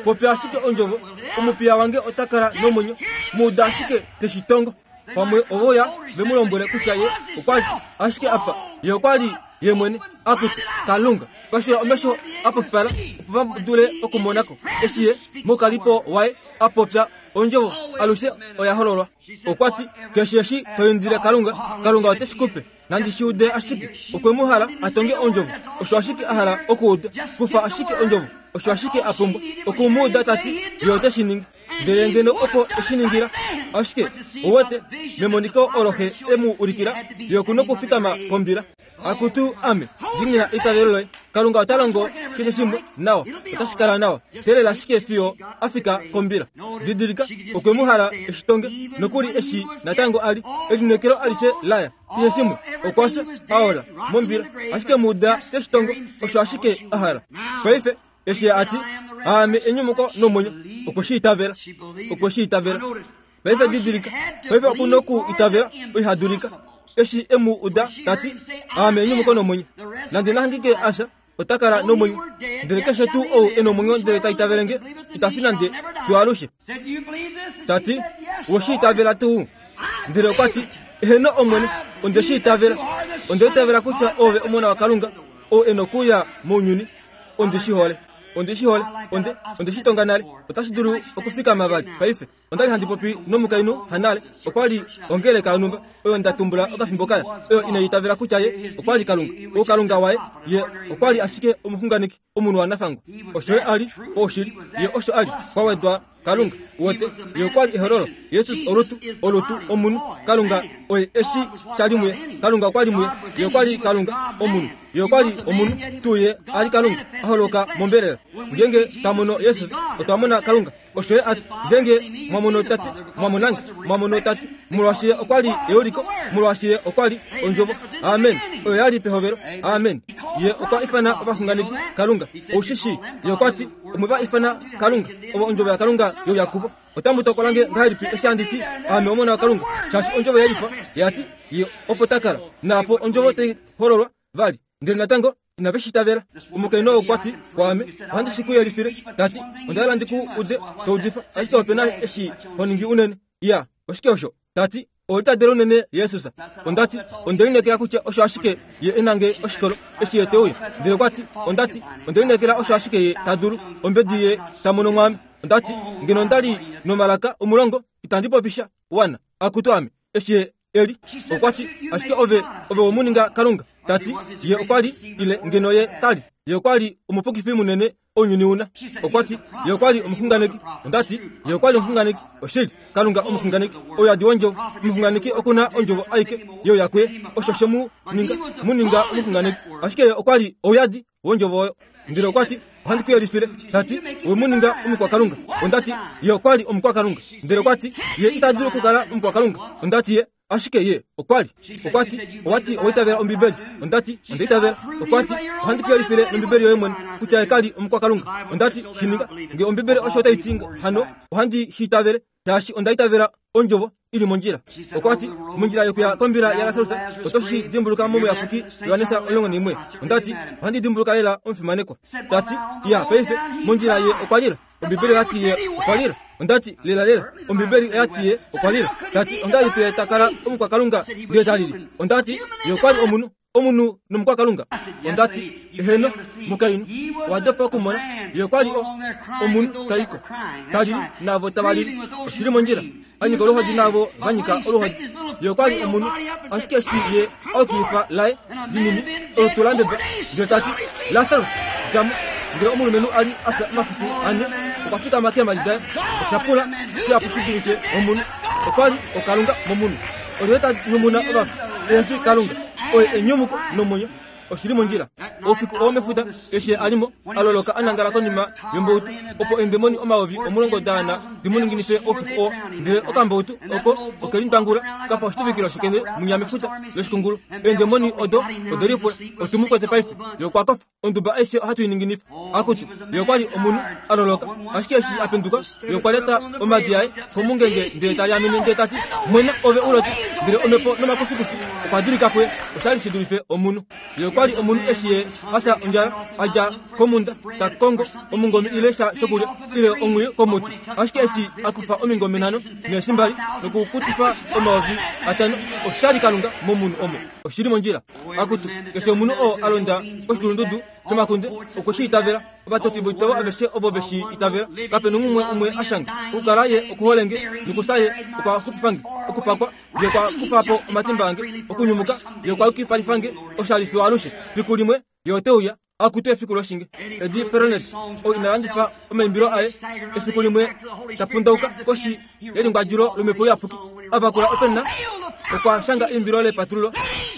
[SPEAKER 1] Popya ashike ondjovo, omupiya wange ota kala nomwenyo. Mu uda ashike te shi tongo. Pamwe ovo ya ve mu lombwele kutya ye okwa li ashike apa. Ye okwa li ye mwene. Akutu, Kalunga, pashula omesho a pofipala opo va dule okumona ko eshi ye moukalipo waye a popya ondjovo alushe oya hololwa. Okwa ti, Keshe eshi to indile Kalunga, Kalunga ote shi ku pe. Nandi shi ude ashike. Okwe mu hala a tonge ondjovo. Osho ashike a hala okuuda. Kufa ashike ondjovo. Osho ashike a pumbwa. Oku mu uda ta ti, Ye ote shi ningi. Ndele ngeno opo e shi ningila. Ashike, ou wete, memoniko olo xe e mu ulikila, ye oku nokufikama pombila. Akutu, ame, diinina eitavelo loye. Kalunga ota longo keshe shimwe nawa. Otashi kala nawa. Teelela ashike fiyo a fika kombila. Didilika, okwe mu hala eshi tonge, nokuli eshi natango a li. Elineekelo alishe laya. Keshe shimwe, okwa fya, a ola, mombila. Ashike mu uda te shi tongo, osho ashike a hala. Paife, eshi a ti, Aame enyumuko nomwenyo, okwe shi itavela. Okwe shi itavela. Paife didilika, paife oku noku itavela oiha dulika. Eshi e mu uda ta ti, Aame enyumuko nomwenyo, nande na hangike a fya, ota kala nomwenyo. Ndele keshe tuu ou e nomwenyo ndele ta itavele nge, ita fi nande fiyo alushe. Ta ti, Owe shi itavela tuu? Ndele okwa ti, Eheno Omwene, onde shi itavela. Onda itavela kutya oove Omona waKalunga, ou e nokuuya mounyuni. Ondi shi hole. Ondi shi hole. Onde, onde shi tonga nale. Otashi dulu okufikama vali paife. Onda li handi popi nomukainhu hanale. Okwa li ongeleka yonhumba oyo nda tumbula okafimbo kaya, oyo inai itavela kutya ye okwa li Kalunga. Oukalunga waye, ye okwa li ashike omuxunganeki, omunhu wanafangwa. Osho ye a li, oushili, ye osho a li, kwa wedwa Kalunga. Uwete, ye okwa li ehololo. Jesus olutu, olutu, omunhu. Kalunga oye eshi sha li muye. Kalunga okwa li muye. Ye okwa li Kalunga, omunhu. Ye okwa li omunhu, tuu ye a li Kalunga, a holoka mombelela. Ngeenge twa mono Jesus, otwa mona Kalunga. Osho ye a ti, Ngeenge mwa mono Tate, mwa mona nge. Mwa mono Tate, molwaashi Ye okwa li euliko, molwaashi Ye okwa li Ondjovo. Amen. Oyo ya li pehovelo. Amen. Ye okwa ifana ovaxunganeki Kalunga. Ou shi shii? Ye okwa ti, Omwe va ifana Kalunga, ovo Ondjovo yaKalunga ye uya kuvo. Otamu tokola nge ngahelipi eshi handi ti, Aame Omona waKalunga? Shaashi Ondjovo ye lifa, ya ti, Ye opo ta kala. Naapo Ondjovo tai hololwa vali. Ndele natango inave shi itavela. Omukainhu oo okwa ti kwaame, Ohandi shi ku yelifile, ta ti, Onda hala ndi ku ude to udifa, ashike ope na eshi ho ningi unene. Iya, oshike osho? Ta ti, Oho litadele unene Jesus. Onda ti, Onde lineekela kutya osho ashike Ye e na nge oshikolo eshi Ye te uya. Ndele okwa ti, Onda ti, Onde lineekela osho ashike Ye ta dulu, ombedi Ye ta mono mwaame. Onda ti, Ngeno onda li nomalaka omulongo, itandi popi sha wana. Akutu ame, eshi Ye e li. Okwa ti, Ashike ove, ove we mu ninga Kalunga. Ta ti, Ye okwa li, ile ngeno Ye ka li. Ye okwa li omupukifi munene ounyuni una. Okwa ti, Ye okwa li omuxunganeki. Onda ti, Ye okwa li omuxunganeki. Oshili, Kalunga omuxunganeki, ouyadi wondjovo. Omuxunganeki oku na ondjovo aike ye uya kuye, osho she mu ninga, mu ninga omuxunganeki. Ashike ye okwa li ouyadi wondjovo oyo. Ndele okwa ti, Ohandi ku yelifile. Ta ti, We mu ninga omukwakalunga. Onda ti, Ye okwa li omukwakalunga. Ndele okwa ti, Ye ita dulu okukala omukwakalunga. Onda ti, Ye, ashike ye okwa li. Okwa ti, Owa ti owa itavela Ombibeli. Onda ti, Onda itavela. Okwa ti, Ohandi ku yelifile nOmbibeli yoye mwene kutya ye ka li omukwakalunga. Onda ti, Shi ninga. Nge Ombibeli osho tai ti hano, ohandi shi itavele. Shaashi onda itavela ondjovo i li mondjila. Okwa ti, Mondjila yokuya kombila yaLasarus, oto shi dimbuluka mOmuyapuki Johannes 11. Onda ti, Ohandi dimbuluka lela omufimanekwa. Ta ti, Iya, paife, mondjila ye okwa lila. Ombibeli oya ti ye okwa lila. Onda ti, Lela lela, Ombibeli oya ti ye okwa lila. Ta ti, Ongahelipi ye ta kala omukwakalunga ndele ta lili? Onda ti, Ye okwa li omunhu. Omunhu nomukwakalunga. Onda ti, Eheno, mukainhu, owa dopa okumona. Ye okwa li o, omunhu ta i ko. Ta lili, naavo tava lili. Oshi li mondjila. A nyika oluhodi naavo va nyika oluhodi. Ye okwa li omunhu. Ashike eshi ye a ukilifa laye linini, olutu la mbeba, ndele ta ti, Lasarus, dja mo. Ndele omulumenhu a li a fya omafiku ane, okwa fikama keemhadi daye. Osha pula shihapu shi dulife omunhu. Okwa li okalunga momunhu. Olyelye ta nyumuna ovafi? Ehe fi Kalunga. Oye enyumuko nomwenyo. Oshi li mondjila. Oufiku oo mefuta, eshi ye a li mo, a loloka a nangala konima yombautu, opo eendemoni 10,000 da ana di mu ninginife oufiku oo. Ndele okambautu oko oke lindwangula ka fa oshituvikilo shekende mwinya mefuta loshikungulu. Eendemoni odo ode lipula, Otu mu kwete paife. Ye okwa kofa. Onduba aishe ohatu i ninginifa. Akutu, ye okwa li omunhu a loloka. Ashike eshi a penduka, ye okwa lyata omadi aye komungenge ndele ta liamene ndele ta ti, Mwena, ove u lote. Ndele omhepo nomakufikufi okwa dulika kuye. Osha li shi dulife omunhu. Ye okwa li omunhu eshi ye a fya ondjala, a dja komhunda ta kongo omungome ile sha shokulya ile onghwiyu komuti. Ashike eshi a kufa omingome nhano neeshi mbali nokukutifa 5000, osha li Kalunga momunhu omo. Oshi li mondjila. Akutu, keshe omunhu oo a londa koshikulundudu shomakunde okwe shi itavela. Ovatoti voitavo aveshe ovo ve shi itavela. Kape nomumwe umwe a shanga. Okukala ye okuhole nge, nokufya ye okwa xupifa nge. Okupakwa ye okwa kufa po omatimba ange. Okunyumuka ye okwa yukipalifa nge. Osha li fiyo alushe. Fiku limwe ye ote uya. Akutu efiku loshinge. Eddie Perronet ou ina landifa omaimbilo aye efiku limwe ta pundauka koshi yelingwadjulo lomhepo iyapuki a vakula openna okwa shanga eimbilo lepatululo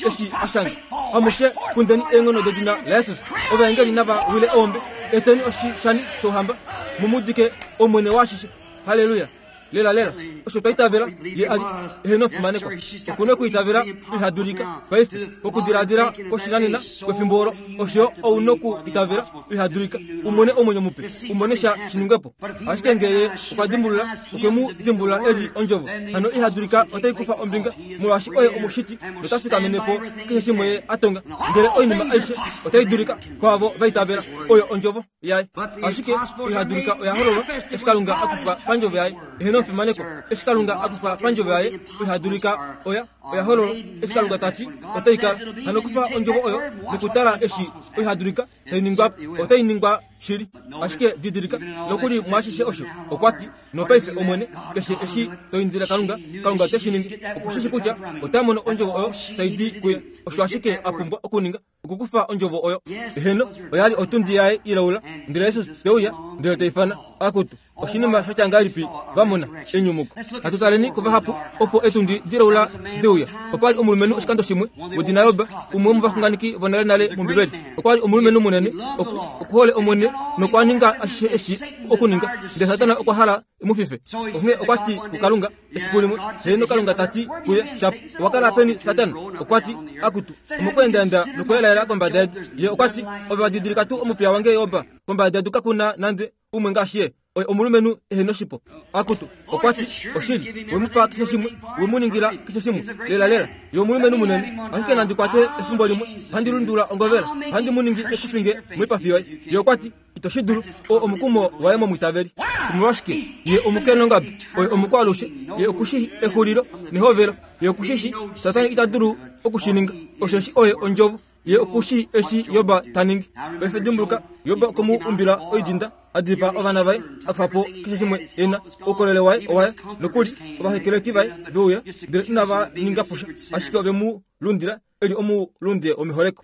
[SPEAKER 1] eshi a shanga amushe kundeni eenghono dedina laJesus ovaengeli nava wile eombe eteni oshishani shouhamba mu mu dike omwene waashishe haleluya Lela lela, osho twa itavela ye a li eheno omufimanekwa. Oku na okuitavela iha dulika paife kokudiladila kwoshinanena kwefimbo olo. Osho yo ou na okuitavela iha dulika u mone omwenyo mupe, u mone sha shi ningwe po. Ashike nge ye okwa dimbulula, okwe mu dimbulula e li Ondjovo, hano iha dulika otai kufa ombinga, molwaashi oye Omushiti nota fikamene po keshe shimwe ye a tonga. Ndele oinima aishe otai dulika kwaavo va itavela. Oyo Ondjovo. yaye. Ashike iha dulika oya hololwa eshi Kalunga a kufa pandjovo yaye. Eheno. Eheno omufimanekwa, eshi Kalunga a kufa pandjovo yaye, oiha dulika oya, oya hololwa. Eshi Kalunga ta ti, otai kala. Hano kufa ondjovo oyo nokutala eshi oiha dulika tai ningwa, otai ningwa shili. Ashike didilika, nokuli mwaashishe osho, okwa ti, Nopaife, Omwene, keshe eshi to indile Kalunga, Kalunga ote shi ningi. Oku shi shi kutya ota mono ondjovo oyo tai di kuye. Osho ashike a pumbwa okuninga, okukufa ondjovo oyo. Eheno, oya li otundi yaye ilaula, ndele Jesus te uya, ndele ta ifana, Akutu, oshinima sha tya ngahelipi va mona, enyumuko. Hatu taleni kuvahapu opo etundi dilaula de uya. Opa li omulumenhu oshikando shimwe, wedina Job, umwe womovaxunganeki vonalenale mOmbibeli. Okwa li omulumenhu munene, oku, okuhole Omwene nokwa ninga ashishe eshi okuninga, ndele Satana okwa hala e mu fife. Onghee okwa ti kuKalunga, Efiku limwe, heeno Kalunga ta ti kuye, Shapu, owa kala peni, Satana? Okwa ti, Akutu, omokweendaaenda nokweelaela kombada yedu. Ye okwa ti, Ove wa didilika tuu omupiya wange Job? Kombada yedu kaku na nande umwe ngaashi ye. Oye omulumenhu ehe noshipo. Akutu, okwa ti, Oshili, we mu pa keshe shimwe, we mu ningila keshe shimwe. Lelalela, ye omulumenhu munene. Ashike nandi kwate efimbo limwe, ohandi lundula ongovela, ohandi mu ningi ekufinge moipafi yoye. Ye okwa ti, Ito shi dulu. Oo omukumo waye momwiitaveli. Omolwashike? Ye omukenongabi. Oye omukwaalushe. Ye oku shii exulilo nehovelo. Ye oku shi shii. Satana ita dulu oku shi ninga. Osheshi oye ondjovo. Ye oku shii eshi Job ta ningi. Paife dimbuluka, Job okwe mu umbila oidinda, a dipaa ovana vaye, a kufa po keshe shimwe e na. Oukolele waye owaye. Nokuli ovahekeleki vaye ve uya, ndele inava ninga po sha, ashike ove mu lundila e li omulunde womeholeko.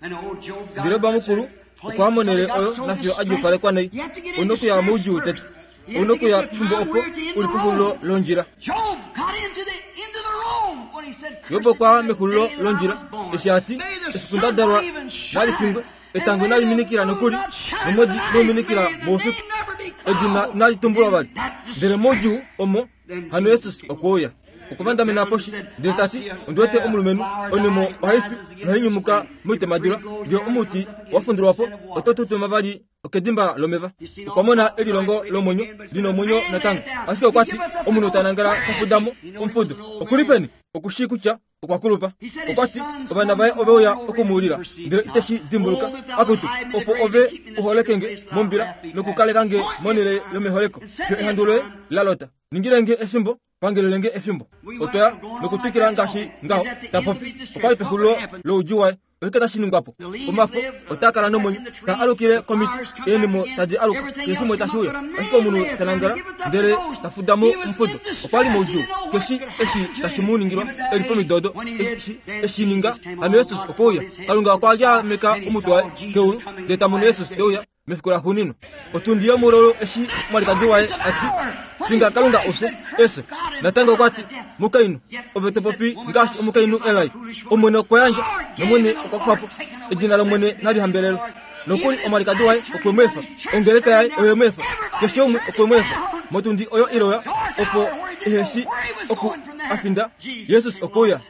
[SPEAKER 1] Ndele Job mukulu okwa monele oyo nafiyo a djuupalekwa nai. Ou na okuya moudjuu tete. Ou na okuya pefimbo opo u li pexulilo londjila. Job okwa ya mexulilo londjila eshi a ti, Efiku nda dalwa nali fingwe, etango inali minikila nokuli, nomwedi inau minikila moufiku. Edina inali tumbulwa vali. Ndele moudjuu omo Hano Jesus okwe uya. Okwa vandamena poshi, ndele ta ti, Ondi wete omulumenhu, onhemo ohai fi nohai nyumuka moitemadula, ndele omuti wa fundulwa po, oto tutuma vali okedimba lomeva. Okwa mona elilongo lomwenyo li nomwenyo natango. Ashike okwa ti, Omunhu ta nangala ta fuda mo omufudo. Oku li peni? Oku shii kutya okwa kulupa. Okwa ti, Ovana vaye ove uya oku mu lila, ndele ite shi dimbuluka. Akutu, opo ove u holeke nge mombila nokukaleka nge monhele yomeholeko, fiyo ehandu loye la lota. Ningile nge efimbo, pangelele nge efimbo. Otwa ya nokutwikila ngaashi ngaho, ta popi. Okwa li pexulilo loudjuu waye. Oshike tashi ningwa po? Omafo otaa kala nomwenyo, taa alukile komiti, eenhemo tadi aluka, keshe shimwe tashi uya. Ashike omunhu ta nangala ndele ta fuda mo omufudo. Okwa li moudjuu, keshi eshi tashi mu ningilwa, e li pomido odo, eshi e shi ninga. Hano Jesus okwe uya. Kalunga okwa lyaameka omutwe waye keulu, ndele ta mono Jesus te uya mefiku laxuuninwa. Otundi yomulolo eshi omwalikadi waye a ti, Finga Kalunga ufye, efyo. Natango okwa ti, Mukainhu, ove to popi ngaashi omukainhu elai. Omwene okwa yandja, nOmwene okwa kufa po. Edina lOmwene nali hambelelwe. Nokuli omwalikadi waye okwe mu efa, ongeleka yaye oye mu efa, keshe umwe okwe mu efa. Motundi oyo iloya, opo ehe shi oku a finda, Jesus okwe uya.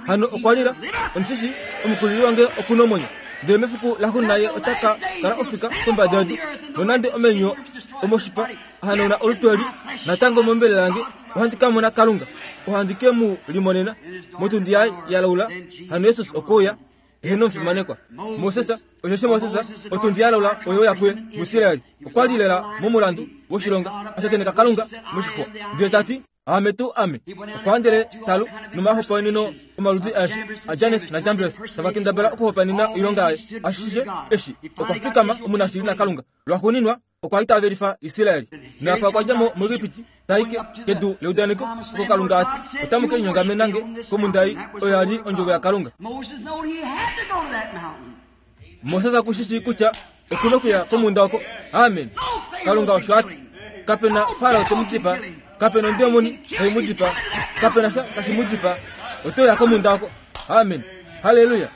[SPEAKER 1] Hano okwa lila, Omushishi, omukulili wange oku nomwenyo, ndele mefiku laxuuninwa ye ota ka kala ofika kombada yedu. Nonande omenyo omoshipa a hanauna olutu eli, natango mombelela yange ohandi ka mona Kalunga, ohandi ke mu limonena motundi yaye ya laula. Hano Jesus okwe uya, eheno omufimanekwa. Moses, osheshi Moses otundi ya laula oyo ya kuye muIsraeli, okwa li lela momulandu woshilonga, a shakeneka Kalunga moshixwa, ndele ta ti, Aame tuu ame. Okwa handele talu nomahopaeneno omaludi aeshe aJanes naJambres tava kendabala okuhopaenena oilonga yaye. Ashishe eshi okwa fikama omunashili naKalunga. Lwaxuuninwa okwa itavelifa Israel. Naapa okwa dja mo muEgipiti ta i kedu leudaneko oko Kalunga a ti, Otamu ke linyongamena nge komhunda ei. Oyo ya li ondjovo yaKalunga. Moses oku shi shii kutya oku na okuya komhunda oko. Amen. Kalunga osho a ti. Kape na Farao te mu dipaa. Kape na ondemoni tai mu dipaa. Kape na sha tashi mu dipaa. Ote uya komhunda oko. Amen. Halleluya.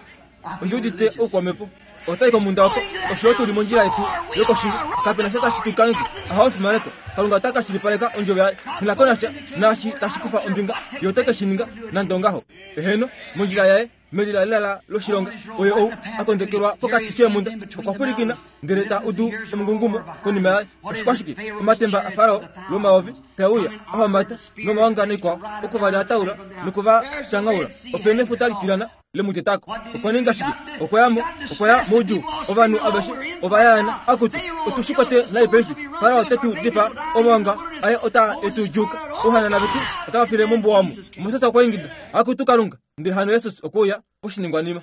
[SPEAKER 1] Ondi udite oukwamhepo. Otai komhunda oko. Osho yo tu li mondjila yetu yokoshinge. Kape na sha tashi tu kangheke. Ahawe fimaneko. Kalunga ota ka shilipaleka ondjovo yaye. Nghi ko nasha naashi tashi kufa ombinga. Ye ote ke shi ninga, nande ongaho. Eheno, mondjila yaye. Melilalala loshilonga, oye ou a kondekelwa pokati keemhunda, okwa pwilikina, ndele ta udu omungungumo konima yaye. Oshikwashike? Omatemba aFarao lwomayovi tae uya, a homata nomaonga noikwao, oku va lyataula noku va tyanghaula. Ope nefuta litilana. le mu teta ko. Okwa ninga shike? Okwa ya mo, okwa ya moudjuu. Ovanhu aveshe ova yaana, Akutu, otu shi kwate nai paife. Farao ote tu dipaa, omawanga aye otaa e tu djuuka, ouhanana vetu otava file mombuwa omu. Moses okwa ingida, Akutu Kalunga! Ndele hano Jesus okwe uya poshiningwanima.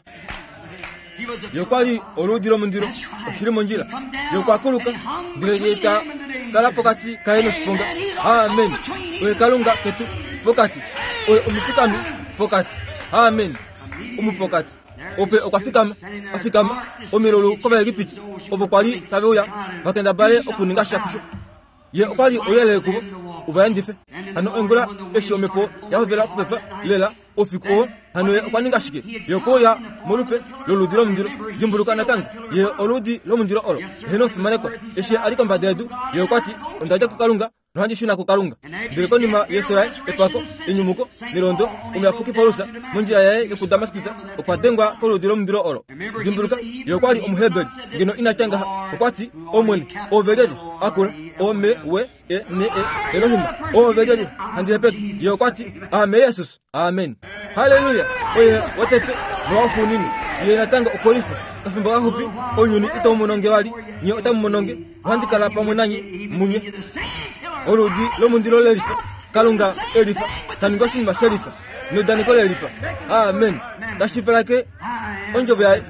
[SPEAKER 1] Ye okwa li oluudi lomundilo, oshi li mondjila. Ye okwa kuluka, ndele ye ta kala pokati kaye noshiponga. Amen. Oye Kalunga ketu pokati. Oye omufikami pokati. Amen. Omupokati. Ope okwa fikama, a fikama omilulu kOvaegipiti ovo kwa li tave uya va kendabale okuninga sha kusho. Ye okwa li ouyelele kuvo u va endife. Hano ongula eshi omhepo ya hovela okupepa lela oufiku oo, hano ye okwa ninga shike? Ye okwe uya molupe loludi lomundilo. Dimbuluka natango, ye oludi lomundilo olo. Heeno, fimanekwa. Eshi ye a li kombada yedu, ye okwa ti, Onda dja kuKalunga, nohandi shuna kuKalunga. Ndele konima yefyo laye, epako, enyumuko, nelondo, omuyapuki Paulus, mondjila yaye yokuDamaskus, okwa dengwa koludi lomundilo olo. Dimbuluka, ye okwa li Omuheberi. Ngeno ina tya ngaha, okwa ti, Omwene, ove lyelye? Akula, Ome, we, e, ne, e, Elohim, ove lyelye? Handi hepeke. Ye okwa ti, Aame Jesus. Amen. Halleluya! Oye wotete nowaxuuninwa. Ye natango okwe lifa. Kafimbo kaxupi, ounyuni itau mono nge vali, nye otamu mono nge. Ohandi kala pamwe nanye, munye. Oludi lomundilo le lifa. Kalunga e lifa. Ta ningi oshinima she lifa. Neudaneko le lifa. Amen. Tashi pelake ondjovo yaye.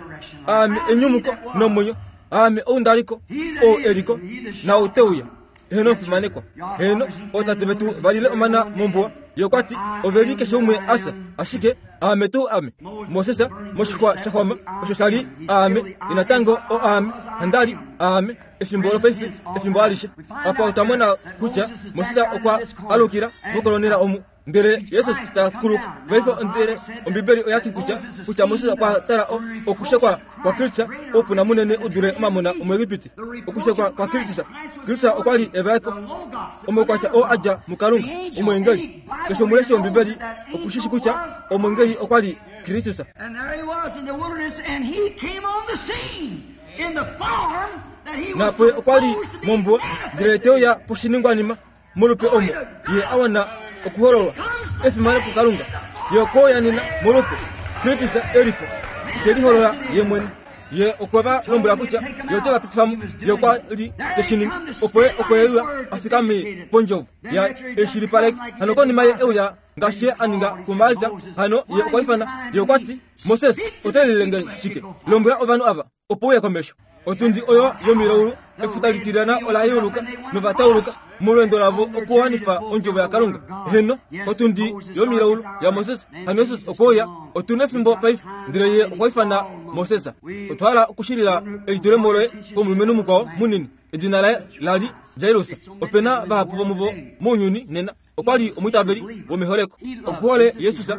[SPEAKER 1] Aame enyumuko nomwenyo. Aame ou nda li ko, ou e li ko, naau te uya. Heeno, omufimanekwa. Heeno, ootate vetu va lile omana mombuwa. Ye okwa ti, Ove li keshe umwe a fya, ashike aame tuu ame. Moses, moshixwa sha xwama, osho sha li aame, ye natango o aame, handa li aame, efimbo lopaife, efimbo alishe. Apa otwa mona kutya Moses okwa alukila mokolonela omu. Ndele Jesus ta kuluka. Paife ndele Ombibeli oya ti kutya kutya Moses okwa tala okushekwa kwaKristus oupuna munene u dule omamona omuEgipiti. Okushekwa kwaKristus. Kristus okwa li evaeko omaukwatya oo a dja muKalunga, omweengeli. Keshe omuleshi wOmbibeli oku shi shi kutya omweengeli okwa li Kristus. Napo okwa li mombuwa ndele te uya poshiningwanima molupe omo ye a wana okuhololwa efimano kuKalunga. Ye okwe uya nena molupe Kristus e li po, te liholola ye mwene. Ye okwe va lombwela kutya ye ote va pitifa mo. Ye okwa li te shi ningi opo ye okwe uya a fikame pondjovo yaye e shilipaleke. Hano konima ye e uya ngaashi ye a ninga kuMalta, hano ye okwa ifana. Ye okwa ti, Moses, oto lilile nge shike? Lombwela ovanhu ava opo uye komesho. Otundi oyo yomilaulu, efuta litilyana ola yeuluka nova tauluka molweendo lavo okuwanifa ondjovo yaKalunga. Heeno, otundi yomilaulu yaMoses, hano Jesus okwe uya. Otu nefimbo paife, ndele ye okwa ifana Moses. Otwa hala okushilila elitulemo loye komulumenhu mukwao munini, edina laye la li Jairus. Ope na vahapu vomuvo mounyuni nena. Okwa li omwiitaveli womeholeko. Okuhole Jesus,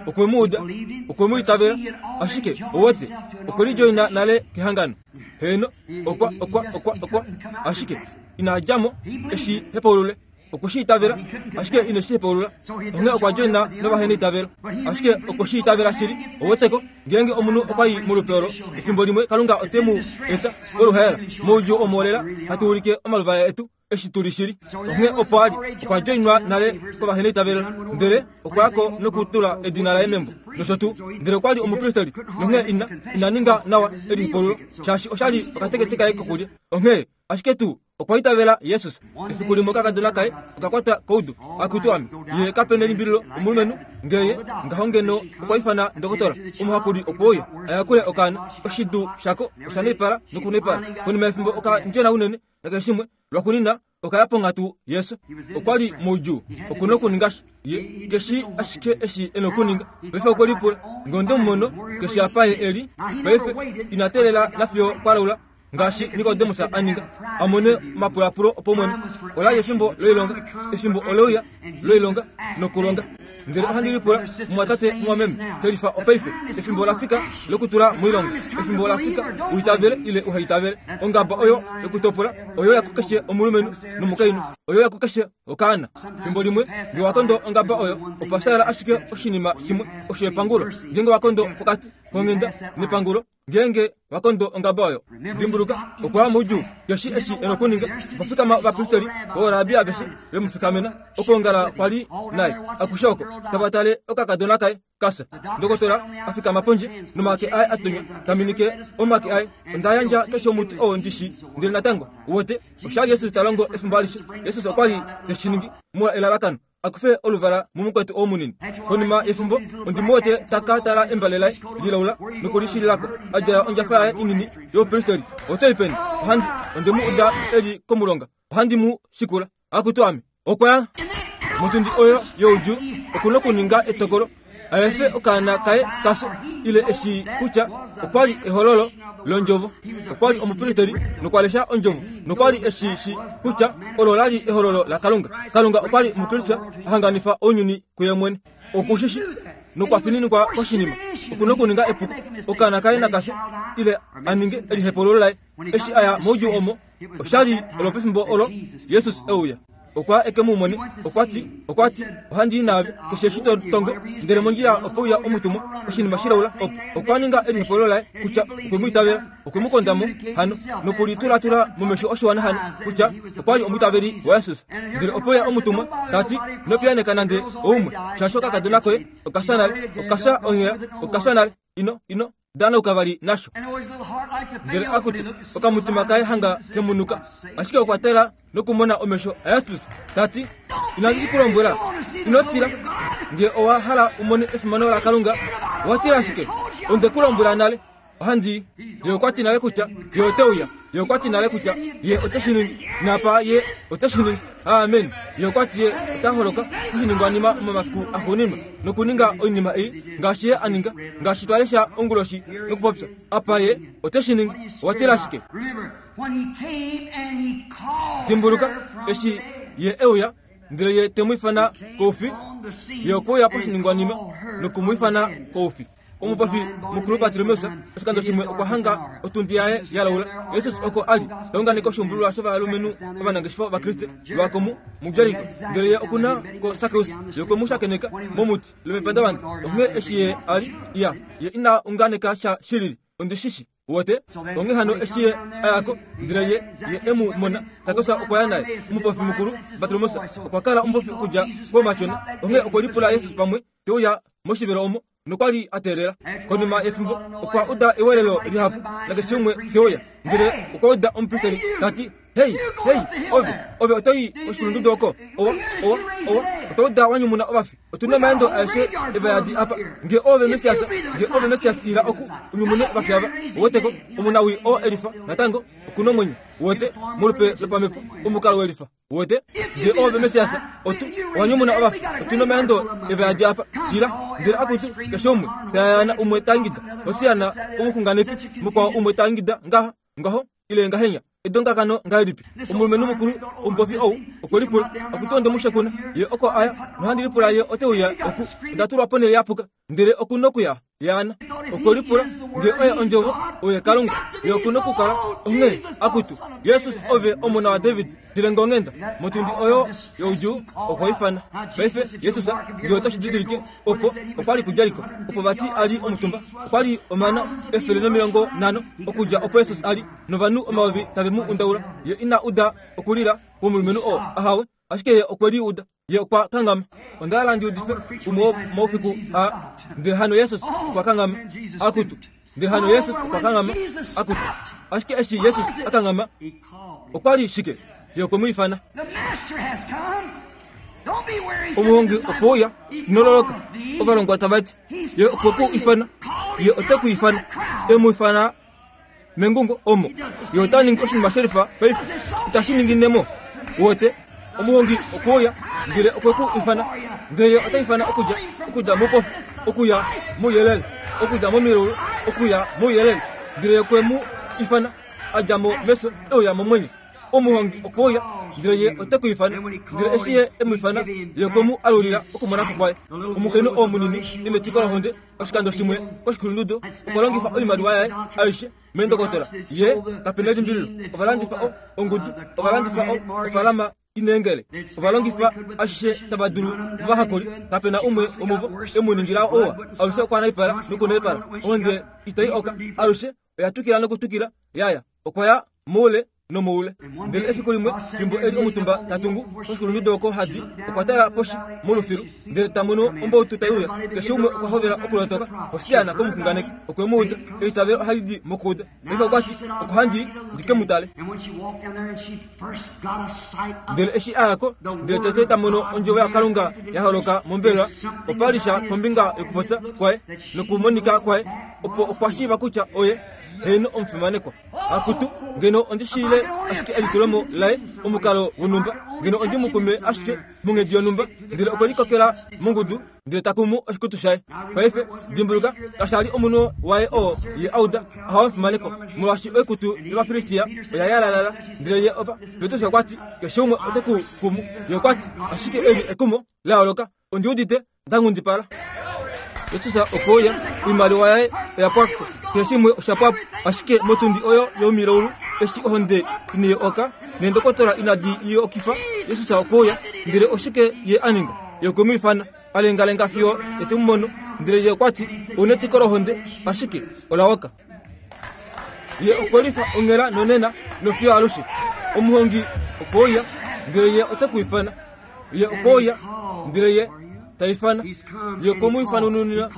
[SPEAKER 1] okwe mu uda, okwe mu itavela, ashike, owete, okwe lidjoina nale kehangano. Heeno, okwa, okwa, okwa, okwa, ashike ina dja mo e shi hepaulule. Okwe shi itavela, ashike ine shi hepaulula. Onghee okwa djoina novaheneitavelo, ashike okwe shi itavela shili. Oweteko, ngeenge omunhu okwa i molupe olo, efimbo limwe Kalunga ote mu eta koluhaela, moudjuu omo lela hatu ulike omaluvala etu. eshi tu li shili. Onghee opo a li, okwa djoinwa nale kovaheneitavelo, ndele okwa ya ko nokutula edina laye membo, nosho tuu. Ndele okwa li omupristeli, nonghee ina, ina ninga nawa elihupululo, shaashi osha li okatekete kaye kokulya. Onghee, ashike tuu, okwa itavela Jesus. Efiku limwe okakadona kaye oka kwatwa koudu. Akutu ame, ye kape nelimbililo omulumenhu, nge ye ngaho ngeno okwa ifana ndokotola, omuhakuli okwe uya a yakule okaana. Oshidu shako osha naipala nokunaipala. Konima yefimbo oka ndjena unene, Nakeshe shimwe, lwakunina oka ya ponghatu yesu. Okwa li moudjuu. Oku na okuninga sha. Ye ke shii ashike eshi e na okuninga. Paife okwe lipula, Nge onde mu mono, keshe apa ye e li. Paife, ina teelela nafiyo kwa laula, ngaashi Nikodemus a ninga, a mone omapulapulo opaumwene. Ola li efimbo loilonga. Efimbo ole uya loilonga nokulonga. Ndele ohandi lipula, mumwatate, mumwameme, telifa opaife. Efimbo ola fika lokutula moilonga. Efimbo ola fika u itavele ile uha itavele. Ongaba oyo yokutopola oyo ya kukeshe omulumenhu nomukainhu, oyo ya kukeshe okaana. Fimbo limwe nge wa kondo ongaba oyo, opa fyaala ashike oshinima shimwe, osho epangulo. Ngeenge wa kondo pokati. konghenda nepangulo ngeenge wa kondo ongaba oyo. Dimbuluka, okwa ya moudjuu keshe eshi e nokuninga. Opa fikama ovapristeri vooraabi aveshe ve mu fikamena. Okwoongala kwa li naye akushe oko, tava tale okakadona kaye kafya. Ndokotola a fikama pondje nomake aye a tonywa, ta minike omake aye. Onda yandja keshe omuti oo ndi shii, ndele natango, uwete, osha li Jesus ta longo efimbo alishe. Jesus okwa li te shi ningi molwa elalakano. a kufe oluvala mumukwetu oo munini. Konima yefimbo, ondi mu wete ta ka tala embale laye lilaula nokulishilila ko, a djala ondjafa yaye inini youpristeri. Oto i peni? Ohandi, onde mu uda e li komulonga. Ohandi mu shikula. Akutu ame! Okwa ya motundi oyo youdjuu, oku nokuninga etokolo a efe okaana kaye ka fye, ile e shii kutya okwa li ehololo lOndjovo. Okwa li omupristeri nokwa lesha Ondjovo, nokwa li e shi shii kutya olo la li ehololo laKalunga. Kalunga okwa li muKristus a hanganifa ounyuni kuye mwene. Oku shi shii, nokwa fininikwa koshinima. Oku nokuninga epuko, okaana kaye naka fye, ile a ninge elihepululo laye. Eshi a ya moudjuu omo, osha li olopefimbo olo Jesus e uya. Okwa eke mu mone, okwa ti, okwa ti, Ohandi i naave, keshe eshi to tongo. Ndele mondjila ope uya omutumwa, oshinima shilaula opo. Okwa ninga elihepolo laye kutya okwe mu itavela, okwe mu konda mo hano, nokulitulatula momesho oshiwana hano kutya okwa li omwiitaveli waJesus. Ndele ope uya omutumwa, ta ti, Ino piyaaneka nande oumwe, shaashi okakadona koye oka fya nale, oka fya onghela, oka fya nale. Ino, ino. danauka vali nasho. Ndele akutu, okamutima kaye hanga kemunuka, ashike okwa tala nokumona omesho aYastus, ta ti, Inandi shi ku lombwela, ino tila, nge owa hala u mone efimano laKalunga, owa tila ashike? Onde ku lombwela nale. Ohandi i. Ye okwa ti nale kutya Ye ote uya. Ye okwa ti nale kutya Ye ote shi ningi. Napa Ye ote shi ningi. Amen. Ye okwa ti Ye ota holoka koshiningwanima momafiku axuuninwa nokuninga oinima ei ngaashi Ye a ninga, ngaashi twa lesha onguloshi nokupopya. Apa Ye ote shi ningi. Owa tila shike? Dimbuluka, eshi Ye e uya, ndele Ye te mu ifana koufi, Ye okwe uya poshiningwanima noku mu ifana koufi. Omupofi mukulu Bartimeus oshikando shimwe okwa hanga otundi yaye ya laula. Jesus oko a li ta unganeke oshuumbululwa shovalumenhu ovanangeshefa Ovakriste lwakomu muJeriko. Ndele ye oku na ko Sakeus, ye okwe mu shakeneka momuti lomepandavanda. Onghee eshi ye a li ya, ye ina unganeka sha shilili. Ondi shi shi. Uwete? Onghee hano eshi ye a ya ko, ndele ye, ye e mu mona, Sakeus okwa ya naye. Omupofi mukulu Bartimeus okwa kala omupofi okudja koumatyona. Onghee okwe lipula Jesus pamwe te uya moshivelo omo nokwa li a teelela. Konima yefimbo, okwa uda ewelelo lihapu nakeshe umwe te uya. Ndele okwa uda omupristeri ta ti, Hei, hei, ove, ove oto i koshikulundudu oko? Owa, owa, owa, otwa uda wa nyumuna ovafi. Otu na omaendo aeshe evayadi apa. Nge oove Messias, nge oove Messias, ila oku, u nyumune ovafi ava. Uweteko, omunawii oo e lifa, natango, oku nomwenyo. Uwete, molupe lopamhepo, omukalo welifa. Uwete? Nge oove Messias, otu, owa nyumuna ovafi. Otu nomaendo evayadi apa. Ila. Ndele akutu, keshe umwe, ta yayaana umwe ta ingida, Hosiana, omuxunganeki, mukwao umwe ta ingida ngaha, ngaho, ile ngahenya. Edongakano ngahelipi? Omulumenhu mukulu omupofi ou okwe lipula, Akutu onde mu shekuna, ye oko a ya, nohandi lipula ye ote uya oku. Onda tulwa ponhele ya puka, ndele oku nokuya. Yaana. Okwe lipula nge oye Ondjovo, oye Kalunga, ye oku nokukala. Onghee, akutu, Jesus ove Omona waDavid, dile nge onghenda. Motundi oyo youdjuu, okwa ifana. Paife, Jesus, nge oto shi didilike, opo okwa li kuJeriko, opo vati a li omutumba. Okwa li omana 150 okudja opo Jesus a li, novanhu omayovi tave mu undaula. Ye ina uda okulila kwomulumenhu oo, ahawe, ashike ye okwe li uda. Ye okwa kanghama. Onda hala ndi udife umwe womoufiku aa. Ndele hano Jesus okwa kanghama. Akutu. Ndele hano Jesus okwa kanghama. Akutu. Ashike eshi Jesus a kanghama, okwa li shike? Ye okwe mu ifana. Omuhongi okwe uya, ino loloka. Ovalongwa tava ti, Ye okwe ku ifana. Ye ote ku ifana. E mu ifana mengungo omo. Ye ota ningi oshinima shelifa paife. Itashi ningine mo. Wote, omuhongi okwe uya, ndele okwe ku ifana. Ndele ye ota ifana okudja, okudja moupofi, okuya mouyelele, okudja momilaulu, okuya mouyelele. Ndele ye okwe mu ifana, a dja mo mefyo, e uya momwenyo. Omuhongi okwe uya, ndele ye ote ku ifana. Ndele eshi ye e mu ifana, ye okwe mu alulila okumona ko kwaye. Omukainhu oo munini e netiko lohonde, oshikando shimwe koshikulundudu, okwa longifa oimaliwa yaye aishe meendokotola. Ye, kape na elimbililo, ova landifa o, ongudu, ova landifa o, ofaalama. Ineengele. Ova longifa ashishe tava dulu movahakuli. Kape na umwe womuvo e mu ningila ouwa. Alushe okwa naipala nokunaipala. Ohonde itai oka. Alushe oya twikila nokutwikila ya ya. Okwa ya moule nomoule. Ndele efiku limwe, fimbo e li omutumba ta tungu koshikulundudu oko ha di, okwa tala poshi molufilu, ndele ta mono ombautu tai uya. Keshe umwe okwa hovela okulotoka. Hosiana komuxunganeki! Okwe mu uda. Eitavelo ohali di mokuuda. Paife okwa ti, Oko handi i ndi ke mu tale. Ndele eshi a ya ko, ndele tete ta mono ondjovo yaKalunga ya holoka mombelewa, opa li sha kombinga yokupopya kwaye nokumonika kwaye, opo okwa shiiva kutya oye heeno omufimanekwa. Akutu, ngeno ondi shiile ashike elitulomo laye omukalo wonhumba, ngeno ondi mu kume ashike monghedi yonhumba, ndele okwe likokela mongudu ndele ta kumu oshikutu shaye. Paife, dimbuluka, kasha li omunhu waye oo ye a uda ahawe omufimaneko, molwaashi oikutu yOvafilistia oya yalalala. Ndele ye ova, Petrus okwa ti, Keshe umwe ote ku kumu. Ye okwa ti, Ashike eli ekumo la yooloka. Ondi udite nda nghundipala. Jesus okwe uya, oimaliwa yaye oya pwa po, keshe shimwe osha pwa po. Ashike motundi oyo yomilaulu, eshi ohonde inai oka, neendokotola inadi i okifa, Jesus okwe uya. Ndele oshike Ye a ninga? Ye okwe mu ifana, a lengalenga fiyo e te mu mono. Ndele Ye okwa ti, Ou netiko lohonde, ashike ola oka. Ye okwe lifa onghela nonena nofiyo alushe. Omuhongi okwe uya, ndele Ye ote ku ifana. Ye okwe uya, ndele Ye ta ifana. Ye okwe mu ifanununina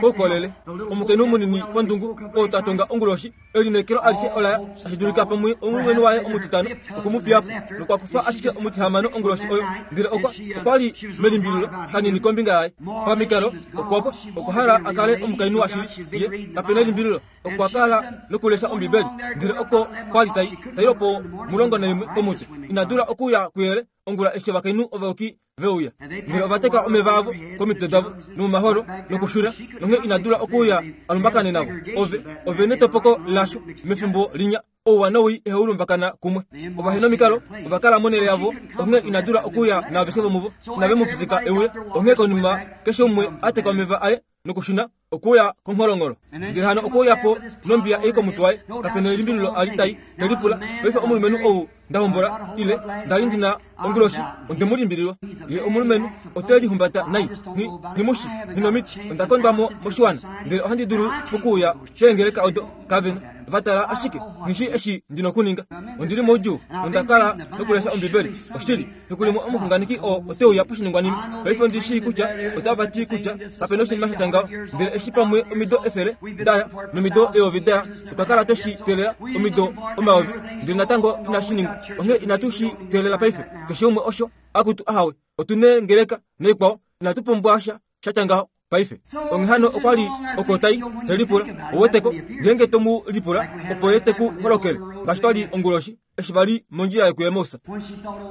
[SPEAKER 1] koukolele. Omukainhu munini pondungu oo ta tonga onguloshi, elineekelo alishe ola ya, tashi dulika pamwe omulumenhu waye omutitano okwe mu fiya po, nokwa kufa ashike omutihamano onguloshi oyo, ndele okwa, okwa li melimbililo kanini kombinga yaye. Pamikalo, okwa, okwa hala a kale omukainhu washili. Ye, kape nelimbililo, okwa kala nokulesha Ombibeli, ndele oko kwa li tai, tai lopo 11 komutwe. Ina dula okuya kuyele ongula eshi ovakainhu ovayuki ve uya. Ndele ova teka omeva avo komitwe davo nomomaholo nokuxula, nonghee ina dula okuuya a lumbakane navo. Ove, ove netopoko lasho mefimbo linya, ouwa nowii ihau lumbakana kumwe. Ovahenomikalo ova kala monhele yavo, onghee ina dula okuuya naaveshe vomuvo. Inave mu pitika e uye. Onghee konima keshe umwe a teka omeva aye nokushuna okuya kongholongolo. Ndele hano okwe uya po nombiya ei komutwe waye, kape nelimbililo a li tai te lipula, Paife omulumenhu ou nda hombola, ile nda li ndi na onguloshi, onde mu limbililwa. Ye omulumenhu ote lihumbata nai. Nghi, nghi mu shi. Nghi nomiti. Onda kondwa mo moshiwana, ndele ohandi dulu okuuya keengeleka odo. Kave na. Va tala ashike. Nghi shii eshi ndi nokuninga. Ondi li moudjuu, nonda kala nokulesha Ombibeli. Oshili. Fiku limwe omuxunganeki oo ote uya poshiningwanima. Paife ondi shii kutya otava ti kutya kape na oshinima sha tya ngaho. Ndele eshi pamwe omido efele da ya, nomido eyovi da ya, otwa kala twe shi teelela omido omayovi, ndele natango inashi ningwa. Onghee inatu shi teelela paife. Keshe umwe osho, akutu ahawe, otu neengeleka naikwao, inatu pumbwa sha sha tya ngaho paife. Onghee hano okwa li oko tai, te lipula. Ou weteko, ngeenge to mu lipula, opo ye te ku holokele, ngaashi twa li onguloshi eshi va li mondjila yokuEmaus.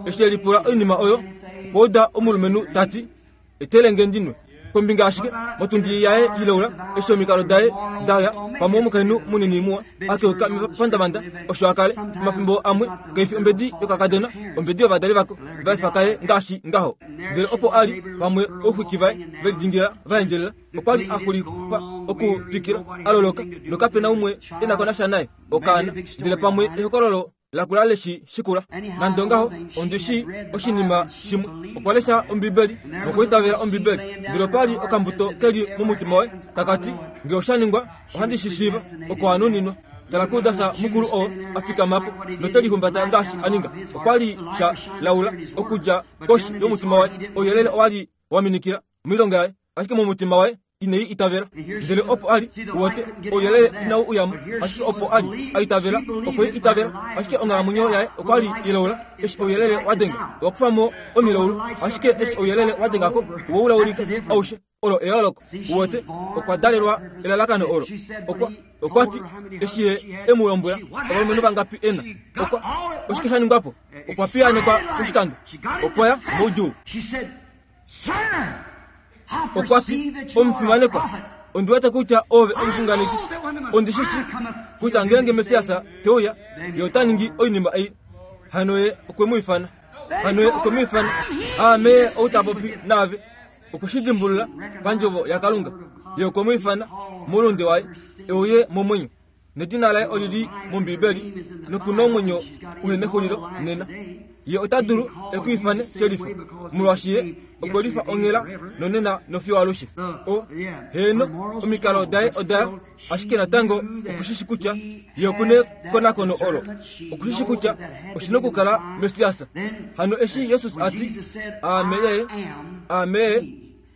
[SPEAKER 1] Eshi e lipula oinima oyo, okwa uda omulumenhu ta ti, Etele nge ndi nwe. Kombinga ashike, motundi yaye ileula, eshi omikalo daye da ya, pamwe omukainhu munini muwa, a keuka mepandavanda, osho a kale, omafimbo amwe, kaifi ombedi yokakadona, ombedi yovadali vako, va efa kaye ngaashi ngaho. Ndele opo a li, pamwe ouxwiki vaye ve lidingila va endjelela, okwa li a xulifa okutwikila, a loloka, nokape na umwe e na ko nasha naye, okaana. Ndele pamwe ehokololo lakula le shi shikula. Nande ongaho, ondi shii oshinima shimwe. Okwa lesha Ombibeli nokwiitavela Ombibeli, ndele opa li okambuto ke li momutima waye, taka ti, Nge osha ningwa, ohandi shi shiiva, oko a nuninwa. Tala kuJudas mukulu oo a fikama po note lihumbata ngaashi a ninga. Okwa li sha laula okudja koshi yomutima waye. Ouyelele owa li wa minikila moilonga yaye, ashike momutima waye ine i itavela. Ndele opo a li, uwete, ouyelele inau uya mo, ashike opo a li a itavela, okwe i itavela. Ashike onghalamwenyo yaye okwa li ilaula, eshi ouyelele wa denga, owa kufa mo omilaulu, ashike eshi ouyelele wa denga ko, owa ulaulika aushe. Olo eyooloko. Uwete, okwa dalelwa elalakano olo. Okwa, okwa ti, eshi ye e mu lombwela, ovalumenhu vangapi e na. Okwa, oshike sha ningwa po? Okwa piyaanekwa poshikando. Okwa ya moudjuu. Okwa ti, Omufimanekwa, ondi wete kutya oove omuxunganeki. Ondi shi shii kutya ngeenge Messias te uya, ye ota ningi oinima ei. Hano ye okwe mu ifana. Hano ye okwe mu ifana. Aame ou ta popi naave. Okwe shi dimbulula pandjovo yaKalunga. Ye okwe mu ifana moulunde waye, e uye momwenyo. Nedina laye oli li mOmbibeli, noku na omwenyo uhe nexulilo nena. Ye ota dulu e ku ifane shelifa, molwaashi Ye okwe lifa onghela nonena nofiyo alushe. O, heeno, omikalo daye oda ya, ashike natango oku shi shi kutya Ye oku nekonakono olo. Oku shi shi kutya oshi nokukala Messias. Hano eshi Jesus a ti, Aame Ye, Aame Ye,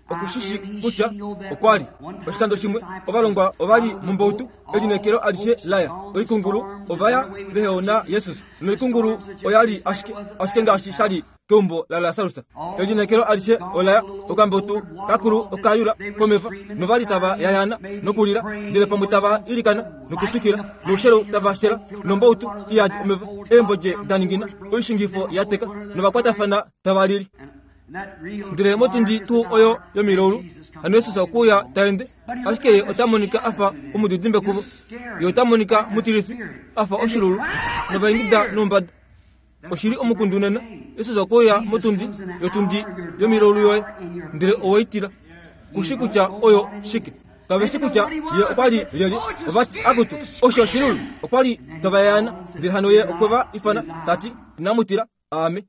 [SPEAKER 1] oku shi shi kutya okwa li. Oshikando shimwe ovalongwa ova li mombautu, elineekelo alishe la ya. Oikungulu ova ya veheona Jesus, noikungulu oya li ashike, ashike ngaashi sha li keumbo laLasarus. Elineekelo alishe ola ya, okambautu kakulu oka yula komeva, nova li tava yayaana nokulila, ndele pamwe tava ilikana nokutwikila, noushelu tava shela, nombautu iyadi omeva, eembodje da ningina, oishingifo ya teka, novakwatafana tava lili. Ndele motundi tuu oyo yomilaulu, hano Jesus okwe uya ta ende, ashike ye ota monika a fa omudidimbe kuvo. Ye ota monika mutilifi, a fa oshilulu, novaingida noumbada. Oshi li omukundu nena. Jesus okwe uya motundi yotundi yomilaulu yoye, ndele owe i tila. Ku shi kutya oyo shike. Kave shi kutya ye okwa li lyelye. Ova ti, Akutu, osho oshilulu! Okwa li tava yaana. Ndele hano ye okwe va ifana, ta ti, Inamu tila. Aame.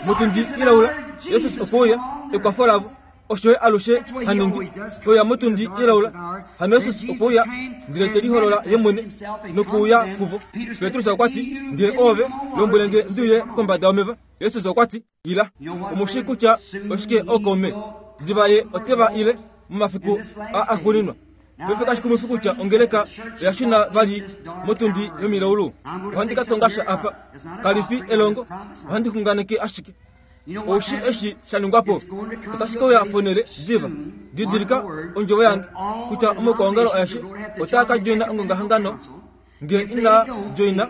[SPEAKER 1] Motundi ilaula, Jesus okwe uya, ekwafo lavo. Osho ye alushe ha ningi. Uya motundi ilaula. Hano Jesus okwe uya, ndele te liholola ye mwene nokuuya kuvo. Petrus okwa ti, Ngee oove, lombwele nge ndi uye kombada yomeva. Jesus okwa ti, Ila. Omu shii kutya oshike ookaume diva ye ote va ile momafiku a axuuninwa. Paife kashi kumwifi kutya ongeleka oya shuna vali motundi yomilaulu. Ohandi ka tonga sha apa. Kali fi elongo, ohandi xunganeke ashike. Ou shii eshi sha ningwa po? Otashi ke uya ponhele diva. Didilika ondjovo yange, kutya omaukwaongalo aeshe otaa ka djoina ongongahangano Nge ina joina,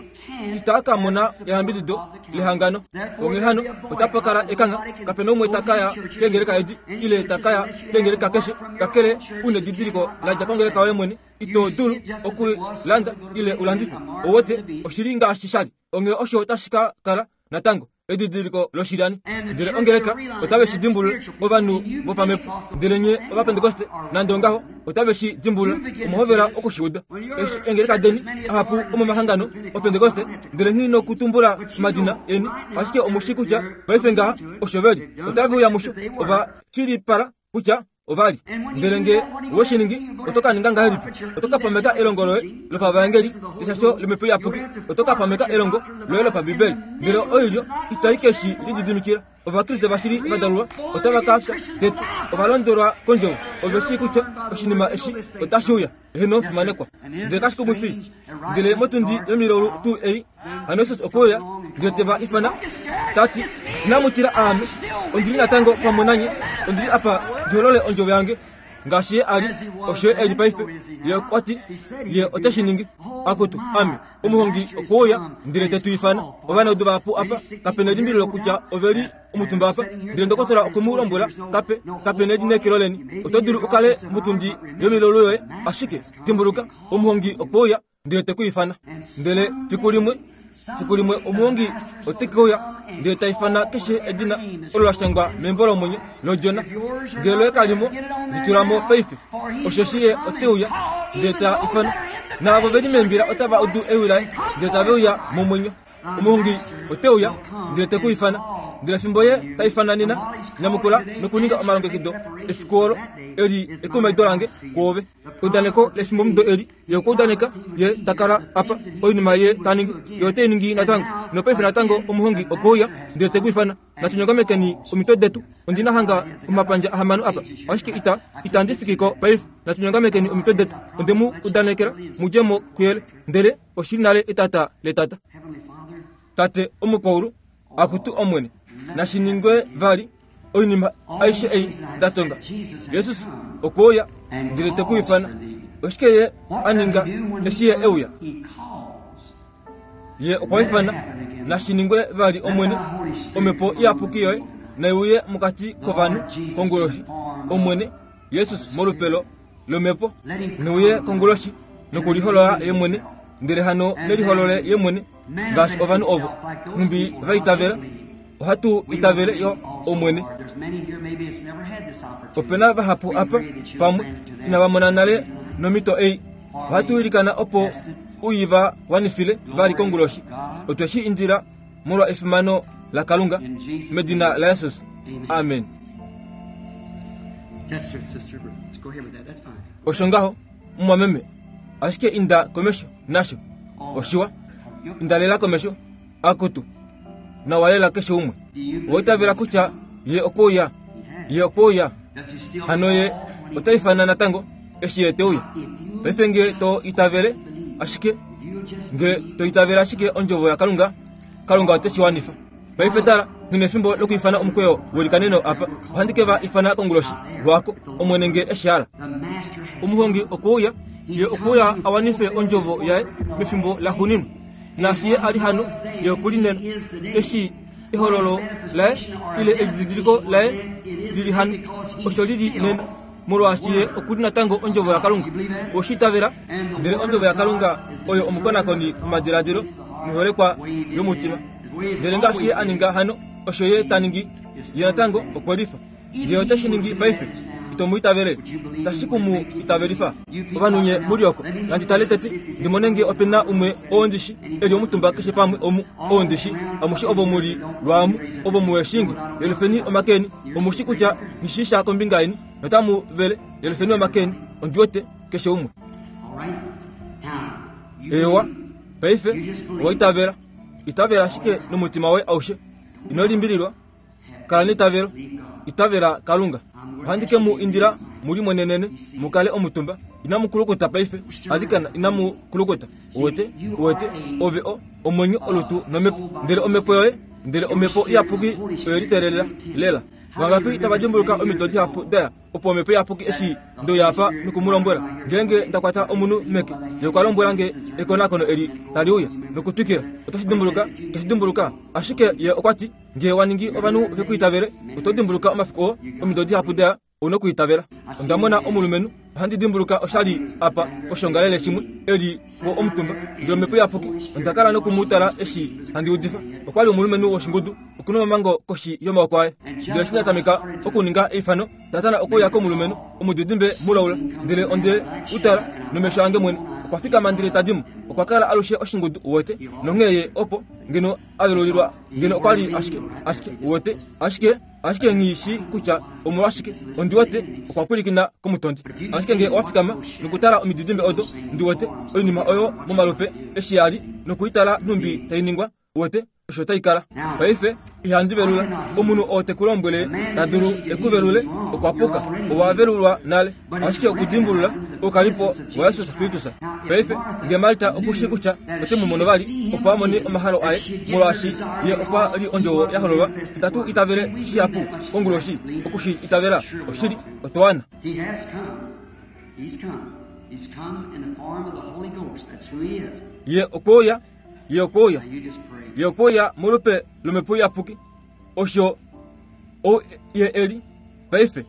[SPEAKER 1] ita ka mona eyambidido lehangano. Onghee hano, otapa kala ekangha. Kape na umwe ta ka ya keengeleka edi, ile ta ka ya keengeleka keshe, kakele u nedidiliko la dja kongeleka yoye mwene. Ito dulu oku landa ile u landife. Ou wete, oshi li ngaashi sha li. Onghee osho otashi ka kala natango. edidiliko loshilyani. Ndele ongeleka otave shi dimbulula, ovanhu vopamhepo. Ndele nye Ovapentekoste, nande ongaho, otave shi dimbulula. Omwa hovela oku shi uda. Eshi eengeleka deni, ahapu omomahangano Opentekoste, ndele nghi nokutumbula omadina eni, ashike omu shii kutya paife ngaha osho ve li. Otave uya musho. Ova shilipala kutya ova li. Ndele nge we shi ningi, oto ka ninga ngahelipi? Oto ka pameka elongo loye lopavaengeli, eshasho lomhepo iyapuki. Oto ka pameka elongo loye lopambibeli. Ndele oilyo itai ke shi lididimikila. Ovakriste vashili va dalulwa otava ka fya tete. Ova londwelwa kondjovo. Ove shii kutya oshinima eshi otashi uya. Heeno, fimanekwa. Ndele kashi kumwifi. Ndele motundi yomilaulu tuu ei, Hano Jesus okwe uya ndele te va ifana ta ti, Inamu tila aame, ondi li natango pamwe nanye, ondi li apa ndi holole ondjovo yange. Ngaashi ye a li, osho ye e li paife. Ye okwa ti, Ye ote shi ningi. Akutu, ame, omuhongi okwe uya ndele te tu ifana. Ovanaudu vahapu apa, kape nelimbililo kutya ove li omutumba apa. Ndele ndokotola okwe mu lombwela, Kape, kape nelineekelo leni. Oto dulu u kale motundi yomilaulu yoye, ashike, dimbuluka, omuhongi okwe uya ndele te ku ifana. Ndele fiku limwe, fiku limwe omuhongi ote ke uya ndele ta ifana keshe edina olo la shangwa membo lomwenyo lOdjona. Ngele loye kali mo, li tula mo paife, osheshi ye ote uya ndele ta ifana. Naavo ve li meembila otava udu ewi laye ndele tave uya momwenyo. Omuhongi ote uya ndele te ku ifana. Ndele fimbo ye ta ifana nena, nyamukula nokuninga omalongekido efiku olo. Eli ekumaido lange kwoove. Eudaneko lefimbomudo eli, ye okwa udaneka ye ta kala apa. Oinima ye ta ningi, ye ote i ningi natango. Nopaife natango omuhongi okwe uya ndele te ku ifana. Natu nyongamekeni omitwe detu. Ondi na hanga omapandja ahamano apa, ashike ita, itandi fiki ko paife. Natu nyongamekeni omitwe detu. Onde mu udanekela mu dje mo kuyele, ndele oshi li nale etata letata. Tate omukwaulu, akutu Omwene, nashi ningwe vali. Oinima aishe ei nda tonga. Jesus okwe uya ndele te ku ifana. Oshike ye a ninga eshi ye e uya? Ye okwa ifana, nashi ningwe vali Omwene, Omhepo Iyapuki yoye nai uye mokati kovanhu konguloshi. Omwene Jesus molupelo lOmhepo ne uye konguloshi nokuliholola ye mwene, ndele hano ne liholole ye mwene ngaashi ovanhu ovo nhumbi va itavela. Ohatu itavele yo Omwene. Ope na vahapu apa pamwe inava mona nale nomhito ei. Ohatu ilikana opo u i va wanifile vali konguloshi. Otwe shi indila molwa efimano. laKalunga, medina laJesus. Amen. Osho ngaho, mumwameme. Ashike inda komesho nasho. Oshiwa. Inda lela komesho. Akutu. Nawa lela keshe umwe. Owa itavela kutya ye okwe uya. Ye okwe uya. Hano ye ota ifana natango eshi ye te uya. Paife nge to itavele ashike, nge to itavele ashike ondjovo yaKalunga, Kalunga ote shi wanifa. Paife tala, nghi nefimbo lokwiifana omukweyo welikaneno apa. Ohandi ke va ifana konguloshi, lwaako, Omwene nge e shi hala. Omuhongi okwe uya, Ye okwe uya a wanife Ondjovo Yaye mefimbo laxuuninwa. Naashi Ye a li hano, Ye oku li nena. Eshi ehololo Laye, ile edidiliko Laye li li hano, osho li li nena, molwaashi Ye oku li natango Ondjovo yaKalunga. Owe shi itavela? Ndele Ondjovo yaKalunga oyo omukonakoni womadiladilo noiholekwa yomutima. Ndele ngaashi Ye a ninga hano, osho Ye ta ningi. Ye natango okwe lifa. Ye ote shi ningi paife. Ito mu itavele? Tashi ku mu itavelifa? Ovanhu nye mu li oko, nandi tale tete, ndi mone nge ope na umwe oo ndi shi, e li omutumba keshe pamwe omu, oo ndi shi. Amushe ovo mu li lwaamu, ovo muhe shii nge, yelufeni omake eni. Omu shi kutya nghi shii sha kombinga yeni, notamu vele, yelufeni omake eni. Ondi wete, keshe umwe. Eewa, paife, owa itavela. Itavela ashike nomutima woye aushe. Ino limbililwa. Kala neitavelo. Itavela Kalunga. Ohandi ke mu indila mu limonenene, mu kale omutumba. Inamu kulukuta paife. Alikana inamu kulukuta. Uwete? Uwete? Ove o, omwenyo, olutu nomhepo. Ndele omhepo yoye, ndele Omhepo Iyapuki oye liteelela lela. Vangapi tava dimbuluka omido dihapu da ya opo Omhepo Iyapuki eshi nde uya apa noku mu lombwela, ngeenge nda kwata omunhu meke, Ye okwa lombwela nge ekonakono eli tali uya, nokutwikila. Oto shi dimbuluka? Oto shi dimbuluka? Ashike Ye okwa ti, Ngee wa ningi ovanhu ve ku itavele, oto dimbuluka omafiku oo, omido dihapu da ya, ou na okwiitavela. Onda mona omulumenhu, ohandi dimbuluka osha li apa poshongalele shimwe, e li po omutumba, ndele Omhepo Iyapuki, onda kala noku mu tala eshi handi udifa. Okwa li omulumenhu woshingudu, oku na omamango koshi yomaoko aye. Ndele eshi nda tameka okuninga eifano, Satana okwe uya komulumenhu omudidimbe mulaula, ndele onde u tala nomesho ange mwene. Okwa fikama ndele ta di mo. Okwa kala alushe oshingudu, uwete, nonghee ye opo ngeno a velulilwa ngeno okwa li ashike, ashike, uwete, ashike, ashike nghi shii kutya omolwashike. Ondi wete okwa pwilikina komutondi. Ashike nge owa fikama nokutala omididimbe odo, ndi wete, oinima oyo momalupe eshi ya li, noku i tala nhumbi tai ningwa, Uwete osho tai kala. Paife, ihandi velula. Omunhu oo te ku lombwele ta dulu e ku velule, okwa puka. Owa velulwa nale. Ashike okudimbulula oukalipo waJesus Kristus. Paife, nge Marta oku shii kutya ote mu mono vali, opo a mone omahalo aye, molwaashi ye okwa li Ondjovo ya hololwa, itatu itavele shihapu konguloshi oku shi itavela. Oshili, otwa wana.
[SPEAKER 2] He has come. He's come. He's come in the form of the Holy Ghost. That's who he is.
[SPEAKER 1] Ye okwe uya. Ye okwe uya. Ye okwe uya molupe lOmhepo Iyapuki. Osho ou Ye e li paife.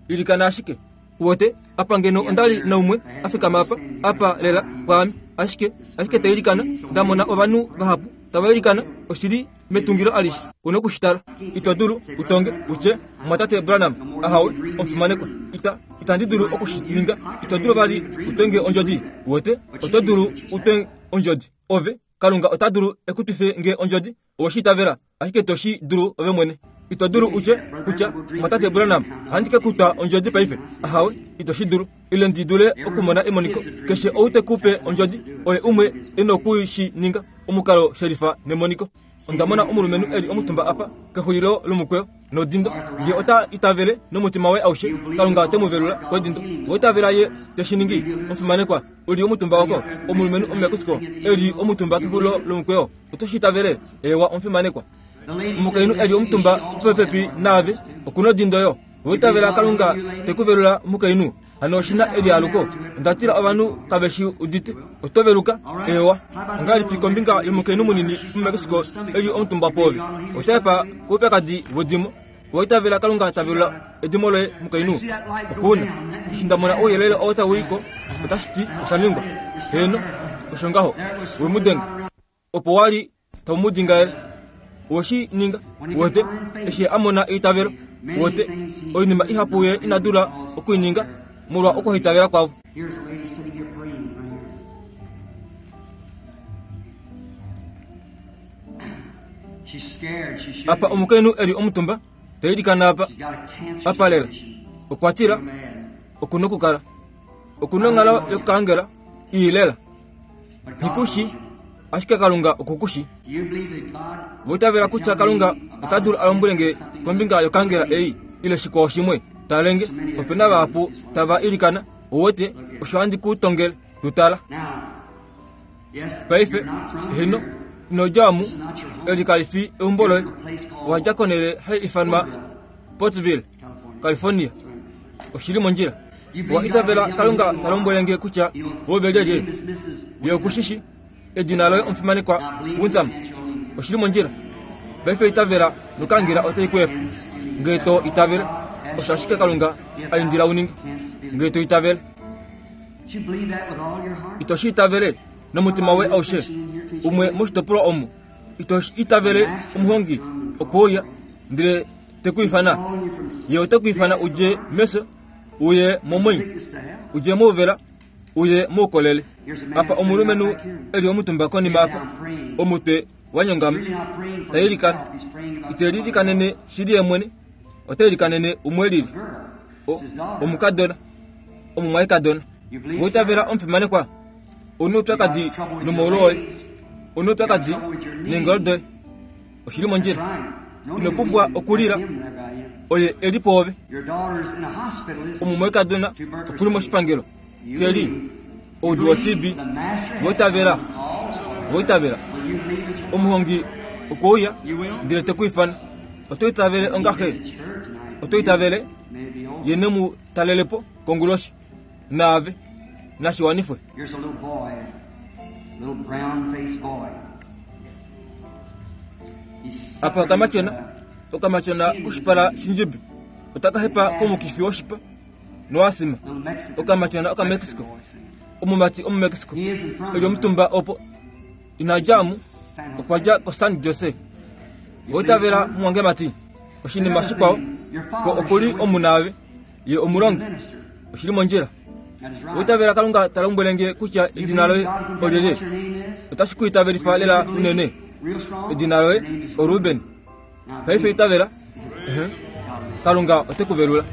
[SPEAKER 1] Ilikana ashike. Uwete, apa ngeno onda li naumwe a fikama apa, apa lela pwaame, ashike, ashike ta ilikana, nda mona ovanhu vahapu tava ilikana, oshi li metungilo alishe. U noku shi tala. Ito dulu u tonge, u tye, Mumwatate Branham, ahawe, omufimanekwa. Ita, itandi dulu oku shi ninga. Ito dulu vali u twe nge ondjodi. Uwete? Oto dulu u twe ondjodi. Ove, Kalunga ota dulu e ku twife nge ondjodi, owe shi itavela, ashike to shi dulu ove mwene. Ito dulu u tye kutya, Mumwatate Branham, ohandi ke ku twa ondjodi paife. Ahawe, ito shi dulu. Ile ndi dule okumona emoniko. Keshe ou te ku pe ondjodi, oye umwe e noku shi ninga, omukalo shelifa nemoniko. Onda mona omulumenhu e li omutumba apa kexulilo lomukweyo nodindo. Ye ota itavele nomutima waye aushe, Kalunga ote mu velula kodindo. Owa itavela Ye te shi ningi? Omufimanekwa, u li omutumba oko, omulumenhu Omumexico e li omutumba kexulilo lomukweyo, oto shi itavele? Eewa, omufimanekwa. Omukainhu e li omutumba popepi naave, oku nodindo yo. Owa itavela Kalunga te ku velula, omukainhu? Hano oshi na elialuko. Onda tila ovanhu kave shi udite. Oto veluka? Eewa. Ongahelipi kombinga yomukainhu munini muMexico e li omutumba pwoove? Ota hepa koupyakadi wedimo. Owa itavela Kalunga ta velula edimo loye, mukainhu? Oku na. Eshi nda mona ouyelele oo tau i ko, otashi ti osha ningwa. Heeno, osho ngaho. We mu denga. Opo wa li tau mu dingaele. Owe shi ninga, uwete, eshi a mona eitavelo. Uwete, oinima ihapu ye ina dula oku i ninga molwa okuhaitavela kwavo.
[SPEAKER 2] Here's a lady sitting here praying right here.
[SPEAKER 1] Apa omukainhu e li omutumba ta ilikana apa, apa lela. Okwa tila, oku nokukala. Oku nonghalo yokaangela ii lela. Nghikushi, ashike Kalunga oku ku shi. Ova itavela kutya Kalunga ota dulu a lombwele nge kombinga yokaangela ei ile shikwao shimwe. Talenge, ope na vahapu tava ilikana, ou wete osho handi ku tongele. Tu tala. Paife, heno, ino dja omu, eli kali fi eumbo loye. Owa dja konhele hai ifanwa Pottsville, California. Oshi li mondjila. Owa itavela Kalunga ta lombwele nge kutya ove lyelye? Ye oku shi shi. Edina loye omufimanekwa Winsam. Oshi li mondjila. Paife itavela nokangela otai ku efa. Nge to itavele, osho ashike Kalunga a indila u ninge. Nge to itavele. Ito shi itavele nomutima woye aushe? Umwe moshitopolwa omu, ito itavele omuhongi okwe uya ndele te ku ifana? Ye ote ku ifana u dje mefyo uye momwenyo, u dje mouvela uye moukolele. Apa omulumenhu e li omutumba konima apa, omutwe wa nyongama, ta ilikana. Ite lilikanene shili ye mwene, ota ilikanene umwe lili, omukadona. Omumwaikadona, owa itavela omufimanekwa? Ou na oupyakadi nomaulu oye. Ou na oupyakadi neengolo doye. Oshi li mondjila. Ino pumbwa okulila. Oye e li pwoove. Omumwaikadona oku li moshipangelo. Ke li oudu woTB. Owa itavela? Owa itavela? Omuhongi okwe uya ndele te ku ifana. Oto itavele onga xe? Oto itavele? Ye ne mu talele po konguloshi, naave nashi wanifwe.
[SPEAKER 2] Here's a little boy, little brown-faced boy. He's
[SPEAKER 1] Apa okamatyona, okamatyona koshipala shindjibi, otaka hepa komukifi woshipa noasima.
[SPEAKER 2] little Mexican,
[SPEAKER 1] Okamatyona Okamexico,
[SPEAKER 2] boy singing.
[SPEAKER 1] omumati Omumexico,
[SPEAKER 2] He isn't from
[SPEAKER 1] e li omutumba opo. Ina dja mu,
[SPEAKER 2] San
[SPEAKER 1] okwa
[SPEAKER 2] Jose.
[SPEAKER 1] dja koSan Jose. Oitavela mumwangemati, oshinima shikwao, ko oku li omunaave, ye omulongi, oshi li mondjila. Oitavela Kalunga ta lombwele nge kutya edina loye olyelye, otashi ku itavelifa lela unene. Edina loye oRuben. Paife itavela. Kalunga ote ku velula.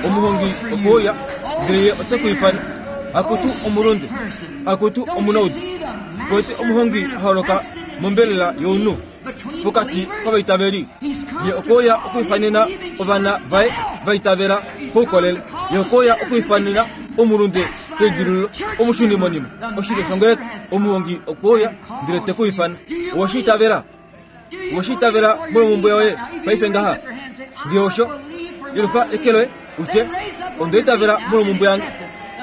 [SPEAKER 1] Omuhongi okwe uya, ndele ye ote ku ifana. Akutu omulunde, akutu omunaudu, kwete omuhongi a holoka mombelela younhu pokati kovaitaveli. Ye okwe uya okwiifanena ovana vaye va itavela koukolele. Ye okwe uya okwiifanena omulunde keidilululo, omushunimonima, oshilyo shongeleka. Omuhongi okwe uya ndele te ku ifana. Owe shi itavela? Owe shi itavela molwomhumbwe yoye paife ngaha? Nge osho, yelufa eke loye u tye, Onda itavela molwomhumbwe yange.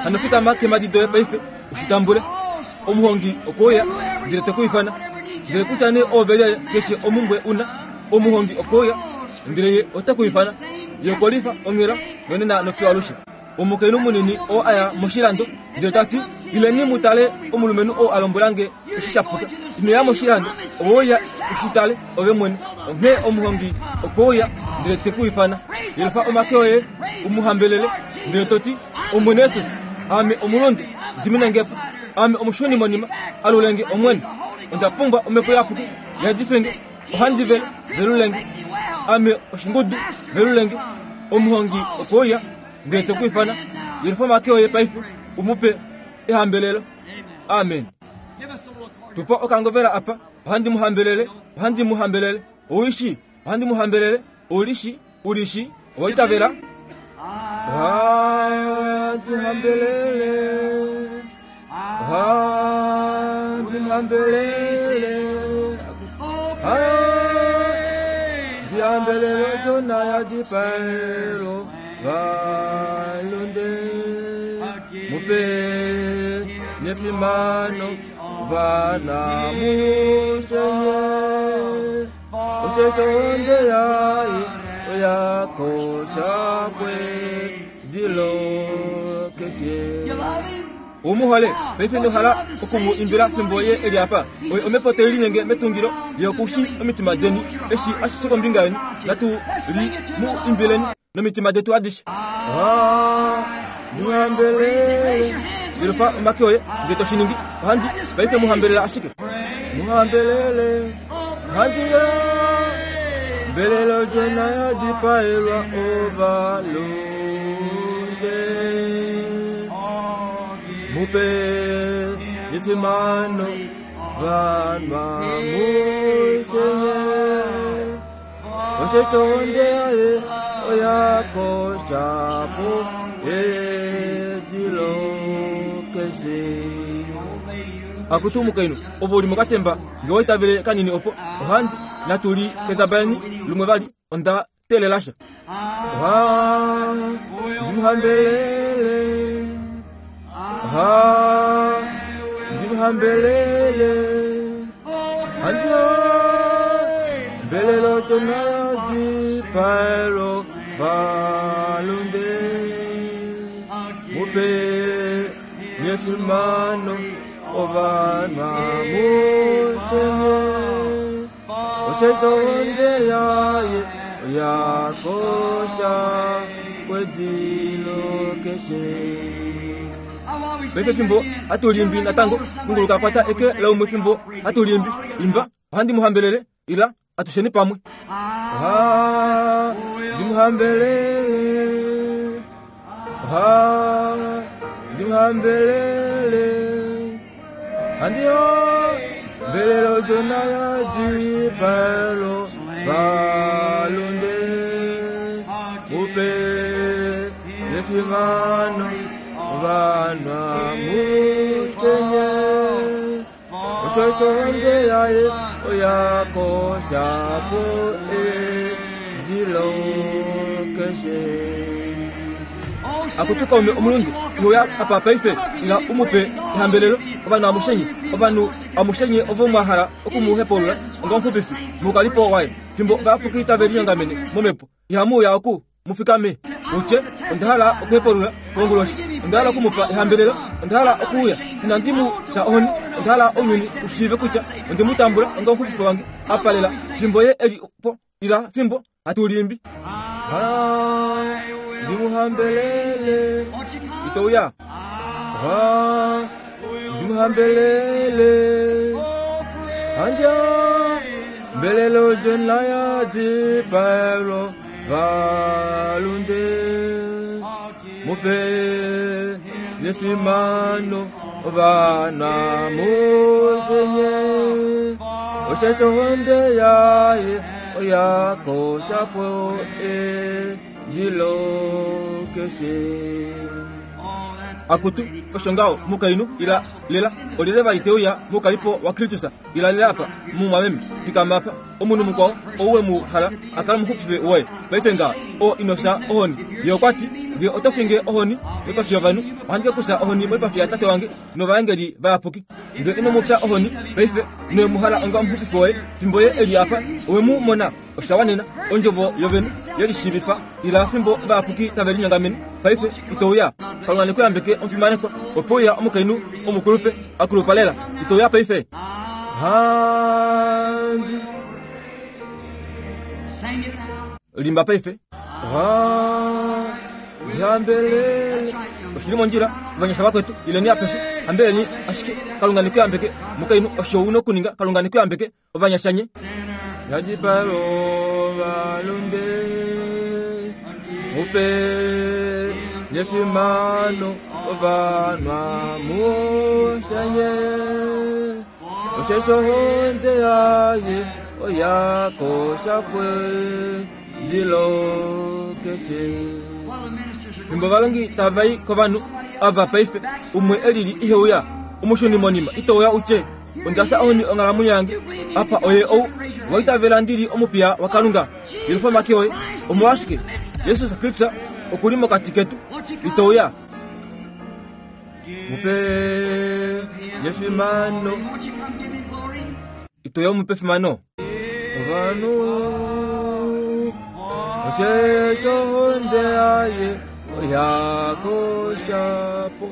[SPEAKER 1] Hano fikama keemhadi doye paife u shi tambule. Omuhongi okwe uya ndele te ku ifana. Ndele kutya nee oove lyelye keshe omhumbwe u na, omuhongi okwe uya ndele ye ote ku ifana. Ye okwe lifa onghela nonena nofiyo alushe. Omukainhu munini oo a ya moshilando ndele ta ti, Ileni mu tale omulumenhu oo a lombwela nge eshi sha puka. Ino ya moshilando, ove uya u shi tale ove mwene. Onghee omuhongi okwe uya ndele te ku ifana. Yelufa omake oye u mu hambelele ndele to ti, Omwene Jesus, ame omulunde, dimina nge po. Ame omushunimonima, alule nge Omwene. Onda pumbwa Omhepo Iyapuki, yadife nge. Ohandi vele, velule nge. Ame oshingudu, velule nge. Omuhongi okwe uya ndele te ku ifana. Yelufa omake oye paife u mu pe ehambelelo. Amen. Tupa okangovela apa. Ohandi mu hambelele. Ohandi mu hambelele. Ou shi? Ohandi mu hambelele. Ou li shi? U li shi? Owa itavela? Ohandi hambelele. Ohandi hambelele. Ohandi hambelele Odjona ya dipaelo valunde. Mupe nefimano vana mushenye. Osheshi ohonde yaye oya kosha kwedilo keshe. U mu hole? Paife ino hala oku mu imbila fimbo ye e li apa? Oye omhepo tai linyenge metungilo, ye oku shii omitima deni, eshi ashishe kombinga yeni. Natu li mu imbileni nomitima detu adishe. Ohandi hambelele. Yelufa omake oye, nge to shi ningi. Ohandi, paife mu hambelela ashike. Muhambelele ohandi ya mbelelo jona ya dipaelwa ovalunde mupe efimano vanwa mushenye osheshi ohonde yaye oyakoshapo edilo keshe. Akutu omukainhu ove uli mokatemba nge wa itavele kanini opo ohandi natu li kendabaleni lumwe vali onda teelela sha. Ohandi mu hambelele ohandi mu hambelele handi hambelele odjona ya dipaelwa ovalunde mupe nefimano ovanhu amushenye osheshi ohonde yaye oyakosha kwedilo keshe. Paife fimbo hatu limbi natango, kunguluka kwata eke laumwe fimbo hatu limbi, imba, ohandi mu hambelele, ila atusheni pamwe. Ohandi mu hambelele, ohandi mu hambelele, handi hambelele odjona ya dipaelo valunde, mupe nefimano ovanhu amushenye osheshi ohonde yaye oyakoshapo edilo keshe. Akutu kaume omulundu inoya apa paife ila u mu pe ehambelelo ovanhu amushenye ovanhu amushenye ovo mwa hala oku mu hepulula onga omuxupifi moukalipo waye fimbo ovayapuki tave linyongamene momhepo ihamu uya oku mu fikame utye onda hala okuhepulula konguloshi onda hala oku mu pa ehambelelo onda hala okuuya inandi mu fya ohoni onda hala ounyuni u shiive kutya onde mu tambula onga omuxupifi wange apa lela fimbo ye e li po ila fimbo hatu limbi. Ohandi mu hambelele ito uya ohandi mu hambelele handi hambelele odjona ya dipaelwa valunde mupe nefimano ovana mushenye osheshi ohonde yaye oyakoshapo edilo keshe. Akutu osho ngaho mukainhu ila lela olyelye vali te uya moukalipo waKristus ila lela apa mumwameme fikama apa omunhu mukwao ou we mu hala a kale omuxupifi woye paife ngaha oo ino fya ohoni Ye okwa ti Nge oto finge ohoni moipafi yovanhu ohandi ke ku fya ohoni moipafi yaTate wange novaengeli vayapuki. Nge ino mu fya ohoni paife nowe mu hala onga omuxupifi woye fimbo ye e li apa owe mu mona Osha wanena Ondjovo yovene ye lishiivifa ila fimbo ovayapuki tave linyongamene paife Ito uya? Kalunga ne ku yambeke omufimanekwa. Ope uya omukainhu omukulupe a kulupa lela. Ito uya paife? Ohandi limba paife. Ohandi hambelele. Oshi li mondjila, ovanyasha vakwetu, ileni apeshe, hambeleni ashike. Kalunga ne ku yambeke, mukainhu. Osho u nokuninga. Kalunga ne ku yambeke. Ovanyasha nye. Yadipalo ovalunde mupe nefimano ovanhu amushe nye. Osheshi ohonde yaye oya kosha kwedilo keshe. Fimbo ovalongi tava i kovanhu ava paife, umwe e lili ihe uya, omushunimonima ito uya u tye, Onda fya ohoni onghalamwenyo yange. Apa oye ou wa itavela ndi li omupiya waKalunga. Yelufa omake oye. Omolwashike? Jesus Kristus oku li mokati ketu. Ito uya? Mu pe efimano. Ito uya u mu pe efimano? Ovanhu osheshi ohonde yaye oya kosha po.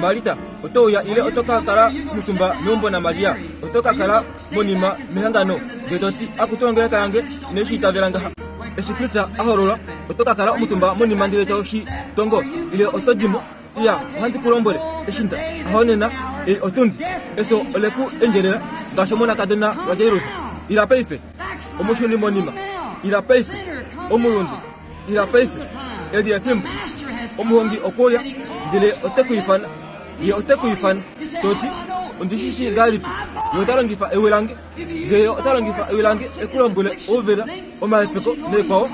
[SPEAKER 1] Marita, oto uya ile oto ka kala omutumba meumbo naMaria? Oto ka kala monima mehangano ndele to ti, Akutu ongeleka yange inai shi itavela ngaha. Eshi Kristus a hololwa, oto ka kala omutumba monima ndele to shi tongo ile oto di mo? Iya, ohandi ku lombwele, eshi nda, ahonena. Ei otundi, efyo ole ku endjelela ngaashi omonakadona waJairus. Ila paife, omushunimonima. Ila paife, omulunde. Ila paife, eli efimbo. Omuhongi okwe uya, ndele ote ku ifana. Ye ote ku ifana, to ti, Ondi shi shii ngahelipi? Ye ota longifa ewi lange. Ngee Ye ota longifa ewi lange e ku lombwele ouvela, omahepeko naikwao,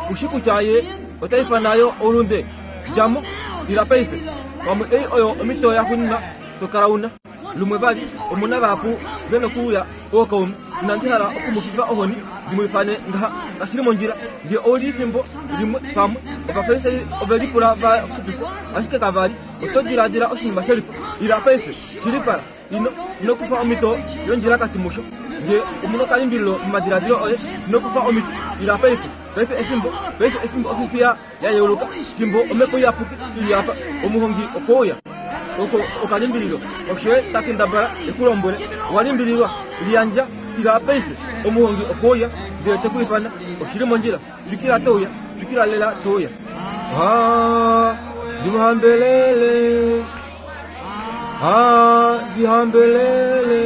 [SPEAKER 1] ku shi kutya Ye ota ifana yo oulunde? Dja mo, ila paife. Pamwe ei oyo omhito yaxuuninwa to kala u na. Lumwe vali, omu na vahapu ve nokuuya ookaume. Inandi hala oku mu fifa ohoni ndi mu ifane ngaha. Kashi li mondjila. Nge ou li efimbo limwe pamwe. Ovafarisai ove lipula va xupifwa, ashike kava li. Oto diladila oshinima shelifa? Ila paife, shilipala. Ino, ino kufa omhito yondjilakati musho. Nge omu nokalimbililo momadiladilo oye, ino kufa omhito. Ila paife. Paife efimbo, paife efimbo ofifiya ya yeuluka, fimbo Omhepo Iyapuki i li apa. Omuhongi okwe uya. Oko okalimbililo. Osho ye ta kendabala e ku lombwele. Owa limbililwa? Liyandja. Ila paife. Omuhongi okwe uya, ndele te ku ifana. Oshi li mondjila. Twikila to uya. Twikila lela to uya. Ha, ndi mu hambelele. Ha, ndi hambelele.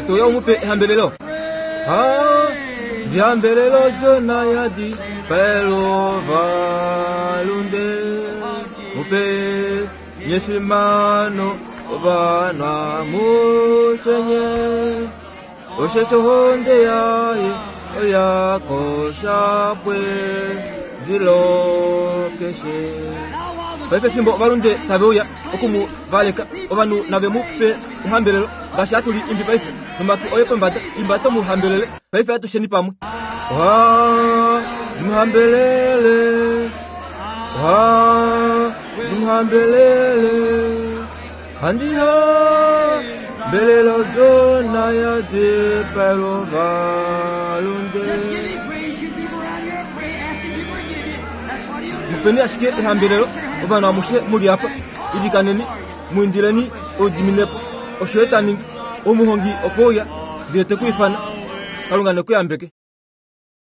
[SPEAKER 1] Ito uya u mu pe ehambelelo? Ha, ndi hambelele odjona ya dipaelwa ovalunde. Mu pe nye efimano ovanhu amushe nye. Osheshi ohonde yaye oya kosha pwe dilo keshe. Paife fimbo ovalunde tave uya oku mu valeka, ovanhu nave mu pe ehambelelo, ngaashi hatu li imbi paife, nomake oye pombada, imba to mu hambelele. Paife atusheni pamwe. Ohandi mu hambelele, ohandi mu hambelele. Handi hambelele odjona ya dipaelwa ovalunde. Mupeni ashike ehambelelo, ovanhu amushe mu li apa. Ilikaneni, mu indileni oudiminepo. Osho ye ta ningi. Omuhongi okwe uya, ndele te ku ifana. Kalunga ne ku yambeke.